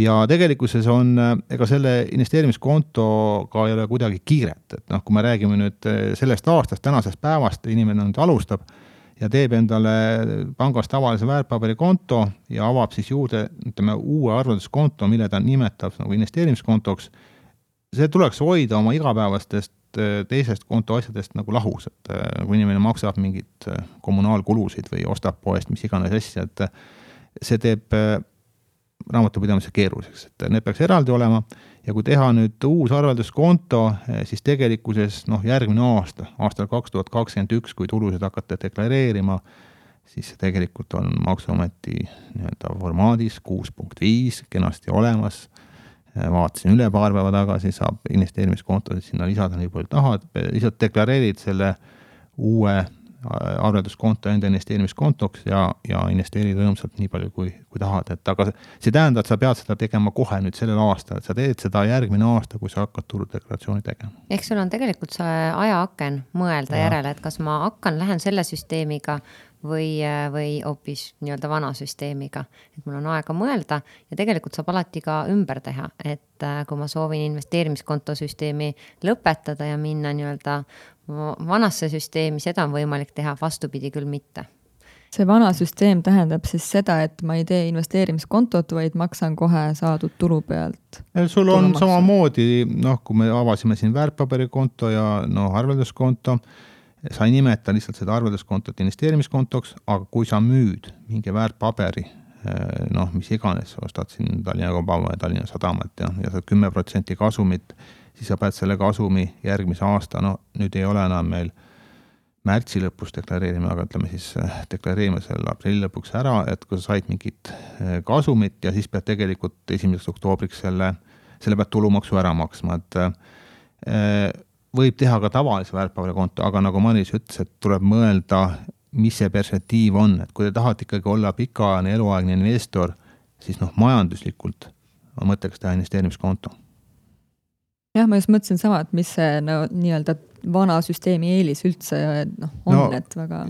Speaker 3: ja tegelikkuses on, ega selle investeerimiskontoga ei ole kuidagi kiiret, et kui me räägime nüüd sellest aastast, tänasest päevast, inimene nüüd alustab ja teeb endale pangast tavalise väärtpaberikonto ja avab siis juurde, uue arvelduskonto, mille ta nimetab nagu investeerimiskontoks, see tuleks hoida oma igapäevastest teisest konto asjadest nagu lahus, et kui inimene maksab mingit kommunaalkulusid või ostab poest, mis iganes asja, et see teeb raamatupidamise keeruliseks, et need peaks eraldi olema ja kui teha nüüd uus arvelduskonto, siis tegelikkuses järgmine aastal 2021, kui tulusid hakata deklareerima, siis see tegelikult on Maksuameti formaadis 6.5 kenasti olemas. Vaatasin üle paar päeva tagasi, saab investeerimiskontosid sinna lisada nii palju tahad, lihtsalt deklareerid selle uue arvelduskonto enda investeerimiskontoks ja investeerid rõõmsalt nii palju kui tahad, et aga see tähendab, et sa pead seda tegema kohe nüüd sellel aastal, et sa teed seda järgmine aasta, kui sa hakkad tuludeklaratsiooni tegema.
Speaker 2: Ehk sul on tegelikult see ajaaken mõelda järele, et kas ma lähen selle süsteemiga või hoopis nii-öelda vana süsteemiga, et mul on aega mõelda ja tegelikult saab alati ka ümber teha, et kui ma soovin investeerimiskonto süsteemi lõpetada ja minna nii-öelda vanasse süsteemi, seda on võimalik teha, vastupidi küll mitte.
Speaker 1: See vana süsteem tähendab siis seda, et ma ei tee investeerimiskontot, vaid maksan kohe saadud tulu pealt.
Speaker 3: Sul on samamoodi, kui me avasime siin väärtpaberikonto ja arvelduskonto, sa ei nimeta lihtsalt seda arvelduskontot investeerimiskontoks, aga kui sa müüd mingi väärtpaberi, mis iganes, ostad siin Tallinna Kaubamaja ja Tallinna Sadamat ja saad 10% kasumit, siis sa pead selle kasumi järgmise aasta, nüüd ei ole enam meil märtsi lõpus deklareerima, aga ütleme siis deklareerima selle aprilli lõpuks ära, et kui sa said mingit kasumit ja siis pead tegelikult 1. oktoobriks selle pead tulumaksu ära maksma, et võib teha ka tavalise väärtpaberikonto, aga nagu Maris ütles, et tuleb mõelda, mis see perspektiiv on, et kui te tahate ikkagi olla pikaajaline eluaegne investor, siis majanduslikult on mõtteks teha investeerimiskonto.
Speaker 1: Jah, ma just mõtlesin sama, et mis see nii-öelda vana süsteemi eelis üldse on, et väga...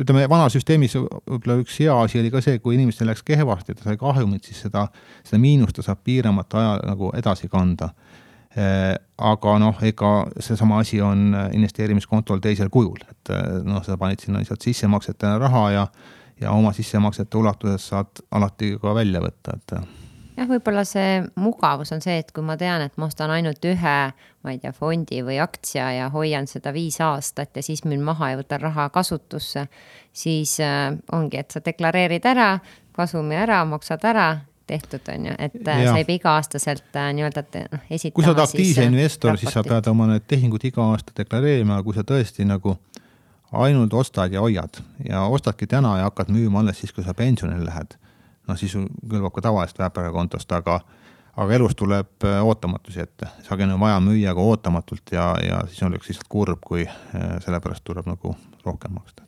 Speaker 3: Ütleme, vana süsteemis üks hea asi oli ka see, kui inimestel läks kehvasti, ta sai kahjumit, siis seda miinust ta saab piiramata aja nagu edasi kanda. Aga ega see sama asi on investeerimiskontol teisel kujul, et sa panid sinna lihtsalt sissemaksetena raha ja oma sissemaksete ulatuses saad alati ka välja võtta, et
Speaker 2: jah, võib-olla see mugavus on see, et kui ma tean, et ma ostan ainult ühe, ma ei tea, fondi või aktsia ja hoian seda 5 aastat ja siis müün maha ja võtan raha kasutusse, siis ongi, et sa deklareerid ära, kasumi ära, maksad ära, tehtud on ju, et sa ei pea iga-aastaselt nii-öelda esitama.
Speaker 3: Kui sa oled aktiivse investor, siis sa pead oma need tehingud iga aasta deklareerima, kui sa tõesti nagu ainult ostad ja hoiad ja ostadki täna ja hakkad müüma alles siis, kui sa pensionile lähed. Siis kõlbab ka tavalist väärtpaberikontost, aga elus tuleb ootamatusi ette. Sagi on vaja müüa ka ootamatult ja siis on lihtsalt kurb, kui sellepärast tuleb nagu rohkem maksta.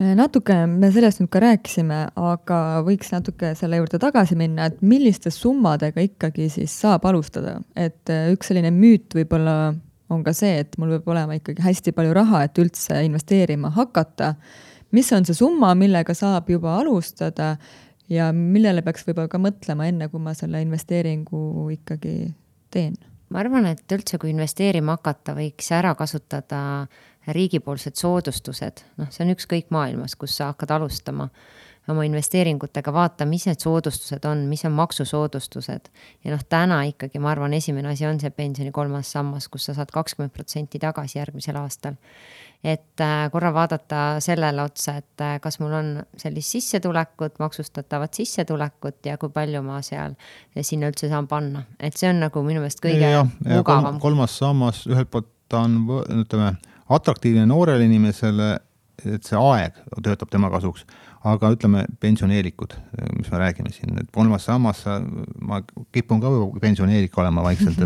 Speaker 1: Natuke me sellest nüüd ka rääkisime, aga võiks natuke selle juurde tagasi minna, et milliste summadega ikkagi siis saab alustada. Et üks selline müüt võib-olla on ka see, et mul võib olema ikkagi hästi palju raha, et üldse investeerima hakata. Mis on see summa, millega saab juba alustada ja millele peaks võib-olla ka mõtlema enne, kui ma selle investeeringu ikkagi teen?
Speaker 2: Ma arvan, et üldse kui investeerima hakata, võiks ära kasutada riigipoolsed soodustused. See on ükskõik maailmas, kus sa hakkad alustama. oma investeeringutega, vaata, mis need soodustused on, mis on maksusoodustused. Ja täna ikkagi, ma arvan, esimene asi on see pensioni 3. sammas, kus sa saad 20% tagasi järgmisel aastal. Et korra vaadata sellele otsa, et kas mul on sellist sissetulekut, maksustatavat sissetulekut ja kui palju ma seal sinna üldse saan panna. Et see on nagu minu meelest kõige mugavam.
Speaker 3: 3. sammas ühelt poolt ta on, ütleme, atraktiivne noorele inimesele, et see aeg töötab tema kasuks, aga ütleme pensioneerikud, mis me räägime siin, et 3. sammas ma kipun ka pensioneerik olema vaikselt,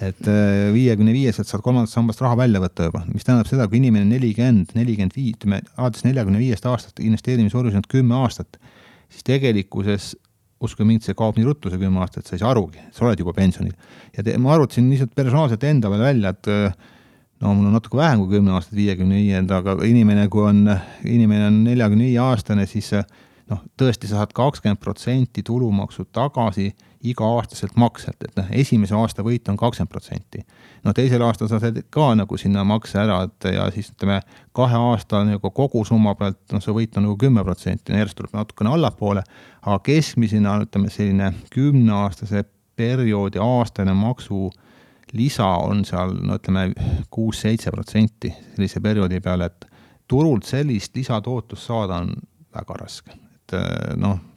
Speaker 3: et 55 saad 3. sambast raha välja võtta juba, mis tähendab seda, kui inimene 40, 45, alates 45 aastast investeerimishorisont on 10 aastat, siis tegelikkuses uskuge mind, see kaob nii ruttu see 10 aastat, sa ei saa arugi, sa oled juba pensionil. Ja ma arutasin lihtsalt personaalselt enda veel välja, et mul on natuke vähem kui 10 aastat 55, aga inimene, kui on 45 aastane, siis tõesti sa saad 20% tulumaksu tagasi iga-aastaselt makselt, et esimese aasta võit on 20%. Teisel aastal sa saad ka nagu sinna makse ära, ja siis 2 aasta nagu kogu summa pealt, see võit on nagu 10%, järjest tuleb natukene allapoole, aga keskmisena selline 10-aastase perioodi aastane maksu lisa on seal, 6-7% sellise perioodi peale, et turult sellist lisatootust saada on väga raske. Et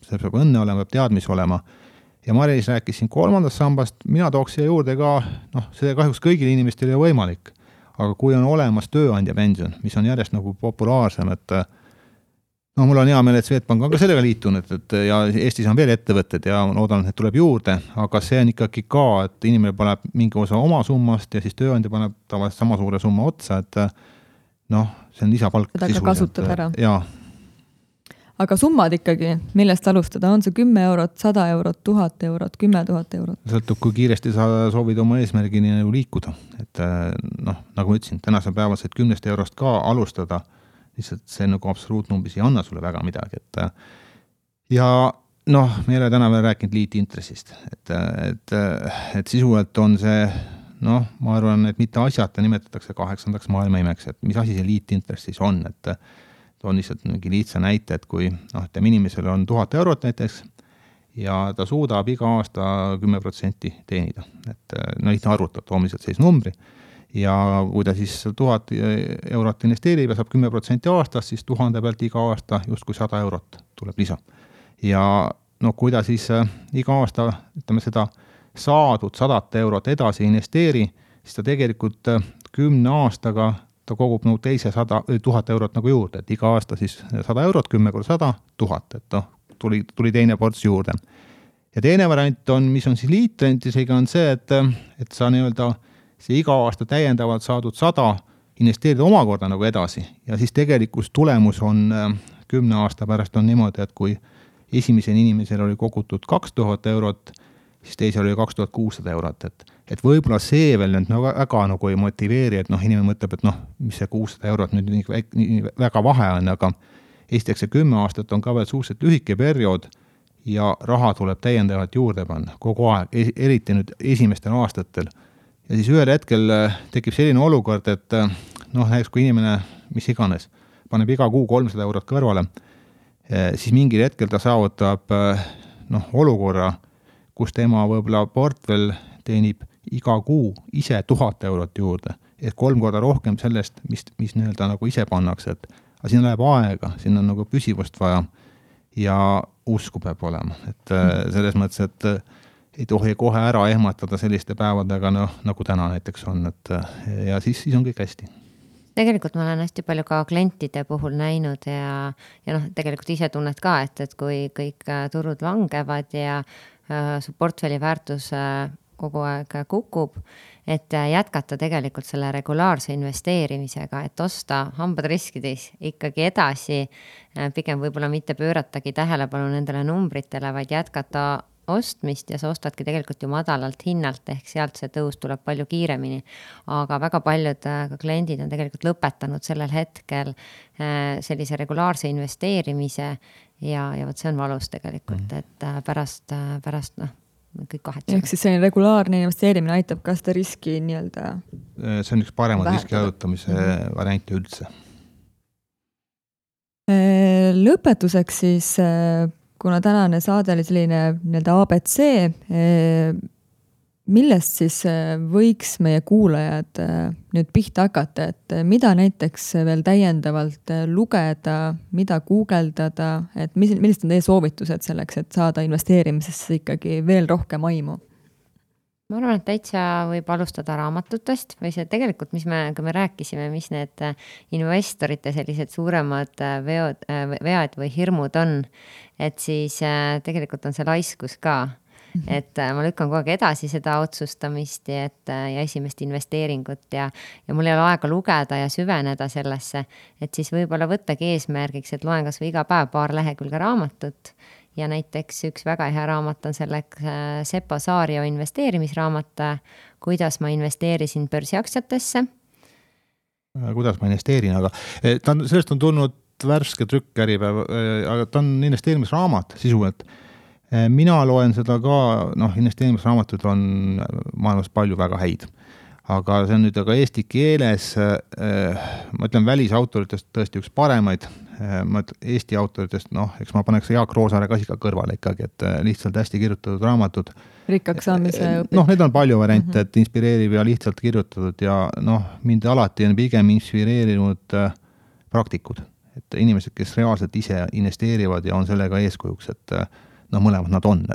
Speaker 3: see peab õnne olema, peab teadmis olema. Ja Maris rääkis siin 3. sambast, mina tooks siia juurde ka, see kahjuks kõigile inimestele ei ole võimalik, aga kui on olemas tööandja pension, mis on järjest nagu populaarsem, et mul on hea meel, et Swedbank on ka sellega liitunud, ja Eestis on veel ettevõtted ja loodan, et need tuleb juurde, aga see on ikkagi ka, et inimene paneb mingi osa oma summast ja siis tööandja paneb tavaliselt sama suure summa otsa, et see on lisapalk.
Speaker 1: Seda ka kasutad ära.
Speaker 3: Jaa.
Speaker 1: Aga summad ikkagi, millest alustada? On see 10 eurot, 100 eurot, 1000 eurot, 10 000 eurot?
Speaker 3: Sõltub, kui kiiresti sa soovid oma eesmärgini liikuda. Et nagu ma ütlesin, tänasel päeval said 10 eurost ka alustada, lihtsalt see nagu absoluutnumbris ei anna sulle väga midagi. Ja me ei ole täna veel rääkinud liitintressist. Et sisuliselt on see, ma arvan, et mitte asjata nimetatakse 8. maailma imeks, et mis asi see liitintress siis on, et on lihtsalt mingi lihtsa näite, et kui inimesel on 1000 eurot näiteks ja ta suudab iga aasta 10% teenida. Et lihtne arvutab, toome lihtsalt sellise numbri. Ja kui ta siis 1000 eurot investeerib ja saab 10% aastas, siis 1000 pealt iga aasta justkui 100 eurot tuleb lisa. Ja kui ta siis iga aasta seda saadud 100 eurot edasi investeeri, siis ta tegelikult 10 aastaga ta kogub teise 1000 eurot nagu juurde, et iga aasta siis 100 eurot, 10 korda 100, 1000, et tuli teine ports juurde. Ja teine variant on, mis on siis liitrentisega, on see, et sa see iga aasta täiendavalt saadud 100 investeerida omakorda nagu edasi ja siis tegelikult tulemus on 10 aasta pärast on niimoodi, et kui esimesel inimesel oli kogutud 2000 eurot, siis teisel oli 2600 eurot, et võib-olla see veel väga nagu ei motiveeri, et inimene mõtleb, et mis see 600 eurot nüüd nii väga vahe on, aga esiteks see 10 aastat on ka veel suhteliselt lühike periood ja raha tuleb täiendavalt juurde panna kogu aeg, eriti nüüd esimestel aastatel. Ja siis ühel hetkel tekib selline olukord, et näiteks kui inimene, mis iganes, paneb iga kuu 300 eurot kõrvale, siis mingil hetkel ta saavutab olukorra, kus tema võib-olla portfell teenib iga kuu ise 1000 eurot juurde, et 3 korda rohkem sellest, mis nagu ise pannakse, aga siin läheb aega, siin on nagu püsivust vaja ja usku peab olema, et selles mõttes, et ei tohi kohe ära ehmatada selliste päevadega, nagu täna näiteks on, ja siis on kõik hästi.
Speaker 2: Tegelikult ma olen hästi palju ka klientide puhul näinud ja tegelikult ise tunned ka, et kui kõik turud langevad ja su portfelli väärtus kogu aeg kukub, et jätkata tegelikult selle regulaarse investeerimisega, et osta hambad riskides ikkagi edasi, pigem võib-olla mitte pööratagi tähelepanu nendele numbritele, vaid jätkata ostmist ja sa ostadki tegelikult ju madalalt hinnalt, ehk sealt see tõus tuleb palju kiiremini. Aga väga paljud kliendid on tegelikult lõpetanud sellel hetkel sellise regulaarse investeerimise ja võt see on valus tegelikult, et pärast kõik kahetsevad.
Speaker 1: Ehk siis selline regulaarne investeerimine aitab ka seda riski nii-öelda
Speaker 3: see on üks paremad riski ajutamise variante üldse.
Speaker 1: Lõpetuseks siis, kuna tänane saade oli selline nii-öelda ABC, millest siis võiks meie kuulajad nüüd pihta hakata, et mida näiteks veel täiendavalt lugeda, mida guugeldada, et millised on teie soovitused selleks, et saada investeerimisesse ikkagi veel rohkem aimu?
Speaker 2: Ma arvan, et täitsa võib alustada raamatutest või see tegelikult, kui me rääkisime, mis need investorite sellised suuremad vead või hirmud on, et siis tegelikult on see laiskus ka. Et ma lükkan kogu aeg edasi seda otsustamist ja esimest investeeringut ja mul ei ole aega lugeda ja süveneda sellesse, et siis võib-olla võttagi eesmärgiks, et loen kas või iga päev 2 lehekülge raamatut ja näiteks üks väga hea raamat on selleks Seppo Saario investeerimisraamat, kuidas ma investeerisin börsiaktsiatesse.
Speaker 3: Kuidas ma investeerin, aga sellest on tulnud värske trükk Äripäev, aga ta on investeerimisraamat sisuliselt. Mina loen seda ka, investeerimisraamatud on maailmas palju väga häid, aga see on nüüd aga eesti keeles, ma ütlen välisautoritest tõesti üks paremaid, ma ütlen Eesti autoritest, eks ma paneks Jaak Roosaare ka kõrvale ikkagi, et lihtsalt hästi kirjutatud raamatud.
Speaker 1: Rikkaks saamise õpik.
Speaker 3: Need on palju variante, et inspireeriv ja lihtsalt kirjutatud ja mind alati on pigem inspireerinud praktikud, et inimesed, kes reaalselt ise investeerivad ja on sellega eeskujuks, et mõlemad nad on,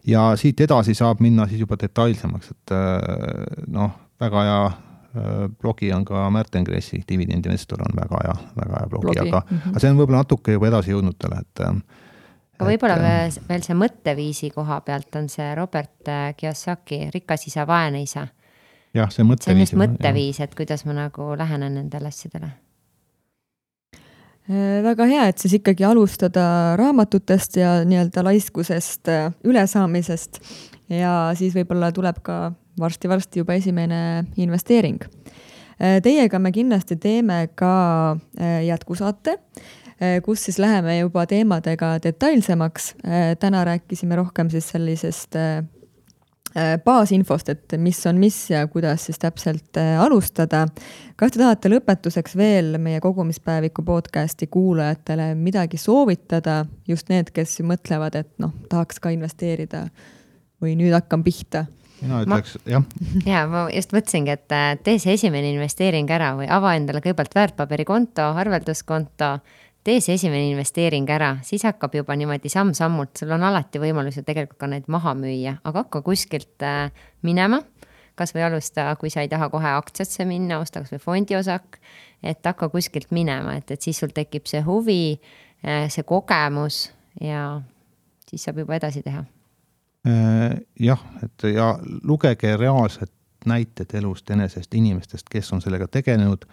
Speaker 3: ja siit edasi saab minna siis juba detailsemaks, et väga hea blogi on ka Märten Kressi, dividendinvestor on väga hea blogi. Aga see on võib-olla natuke juba edasi jõudnutele,
Speaker 2: Aga võib-olla veel see mõtteviisi koha pealt on see Robert Kiyosaki, Rikas isa, vaene isa.
Speaker 3: Jah, see mõtteviis.
Speaker 2: See on just mõtteviis, et kuidas ma nagu lähenen nendele asjadele.
Speaker 1: Väga hea, et siis ikkagi alustada raamatutest ja nii-öelda laiskusest ülesaamisest ja siis võib-olla tuleb ka varsti juba esimene investeering. Teiega me kindlasti teeme ka jätkusaate, kus siis läheme juba teemadega detailsemaks. Täna rääkisime rohkem siis sellisest baasinfost, et mis on mis ja kuidas siis täpselt alustada. Kas te tahate lõpetuseks veel meie kogumispäeviku podcasti kuulajatele midagi soovitada, just need, kes mõtlevad, et tahaks ka investeerida või nüüd hakkan pihta?
Speaker 3: Mina ütleks, jah.
Speaker 2: Ja, ma just mõtlesingi, et tee see esimene investeering ära või ava endale kõigepealt väärtpaberikonto, arvelduskonto, tee see esimene investeering ära, siis hakkab juba niimoodi samm-sammult, sul on alati võimalus ju tegelikult ka neid maha müüa, aga hakka kuskilt minema, kas või alusta, kui sa ei taha kohe aktsiasse minna, osta kas või fondiosak, et hakka kuskilt minema, et siis sul tekib see huvi, see kogemus ja siis saab juba edasi teha.
Speaker 3: Jah, ja lugege reaalsed näited elust enesest inimestest, kes on sellega tegelenud.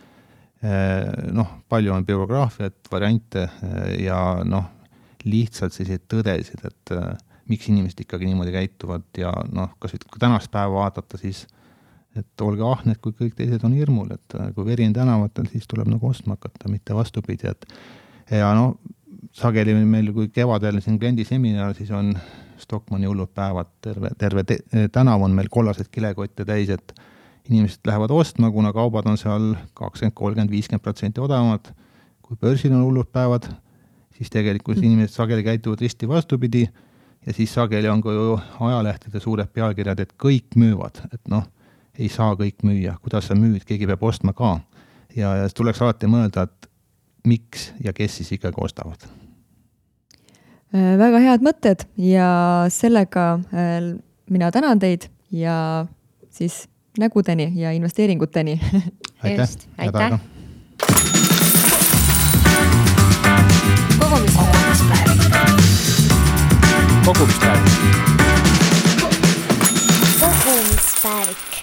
Speaker 3: Palju on biograafiat, variante ja lihtsalt sellised tõdesid, et miks inimesed ikkagi niimoodi käituvad ja kas kui tänast päeva vaadata, siis et olge ahned, kui kõik teised on hirmul, et kui veri on tänavatel, siis tuleb nagu ostma hakata, mitte vastupidi, ja sageli meil, kui kevadel siin kliendiseminar, siis on Stockmanni hullud päevad, terve tänav on meil kollased kilekotte täis, et inimesed lähevad ostma, kuna kaubad on seal 20, 30, 50% odavamad. Kui börsil on hullud päevad, siis tegelikult inimesed sageli käituvad risti vastupidi ja siis sageli on ka ju ajalehtede suured pealkirjad, et kõik müüvad, et ei saa kõik müüa, kuidas sa müüd, keegi peab ostma ka. Ja tuleks alati mõelda, et miks ja kes siis ikkagi ostavad.
Speaker 1: Väga head mõtted ja sellega mina tänan teid ja siis nägudeni ja investeeringuteni.
Speaker 3: Aitäh.
Speaker 2: Aitäh.
Speaker 4: Kogumispäevik.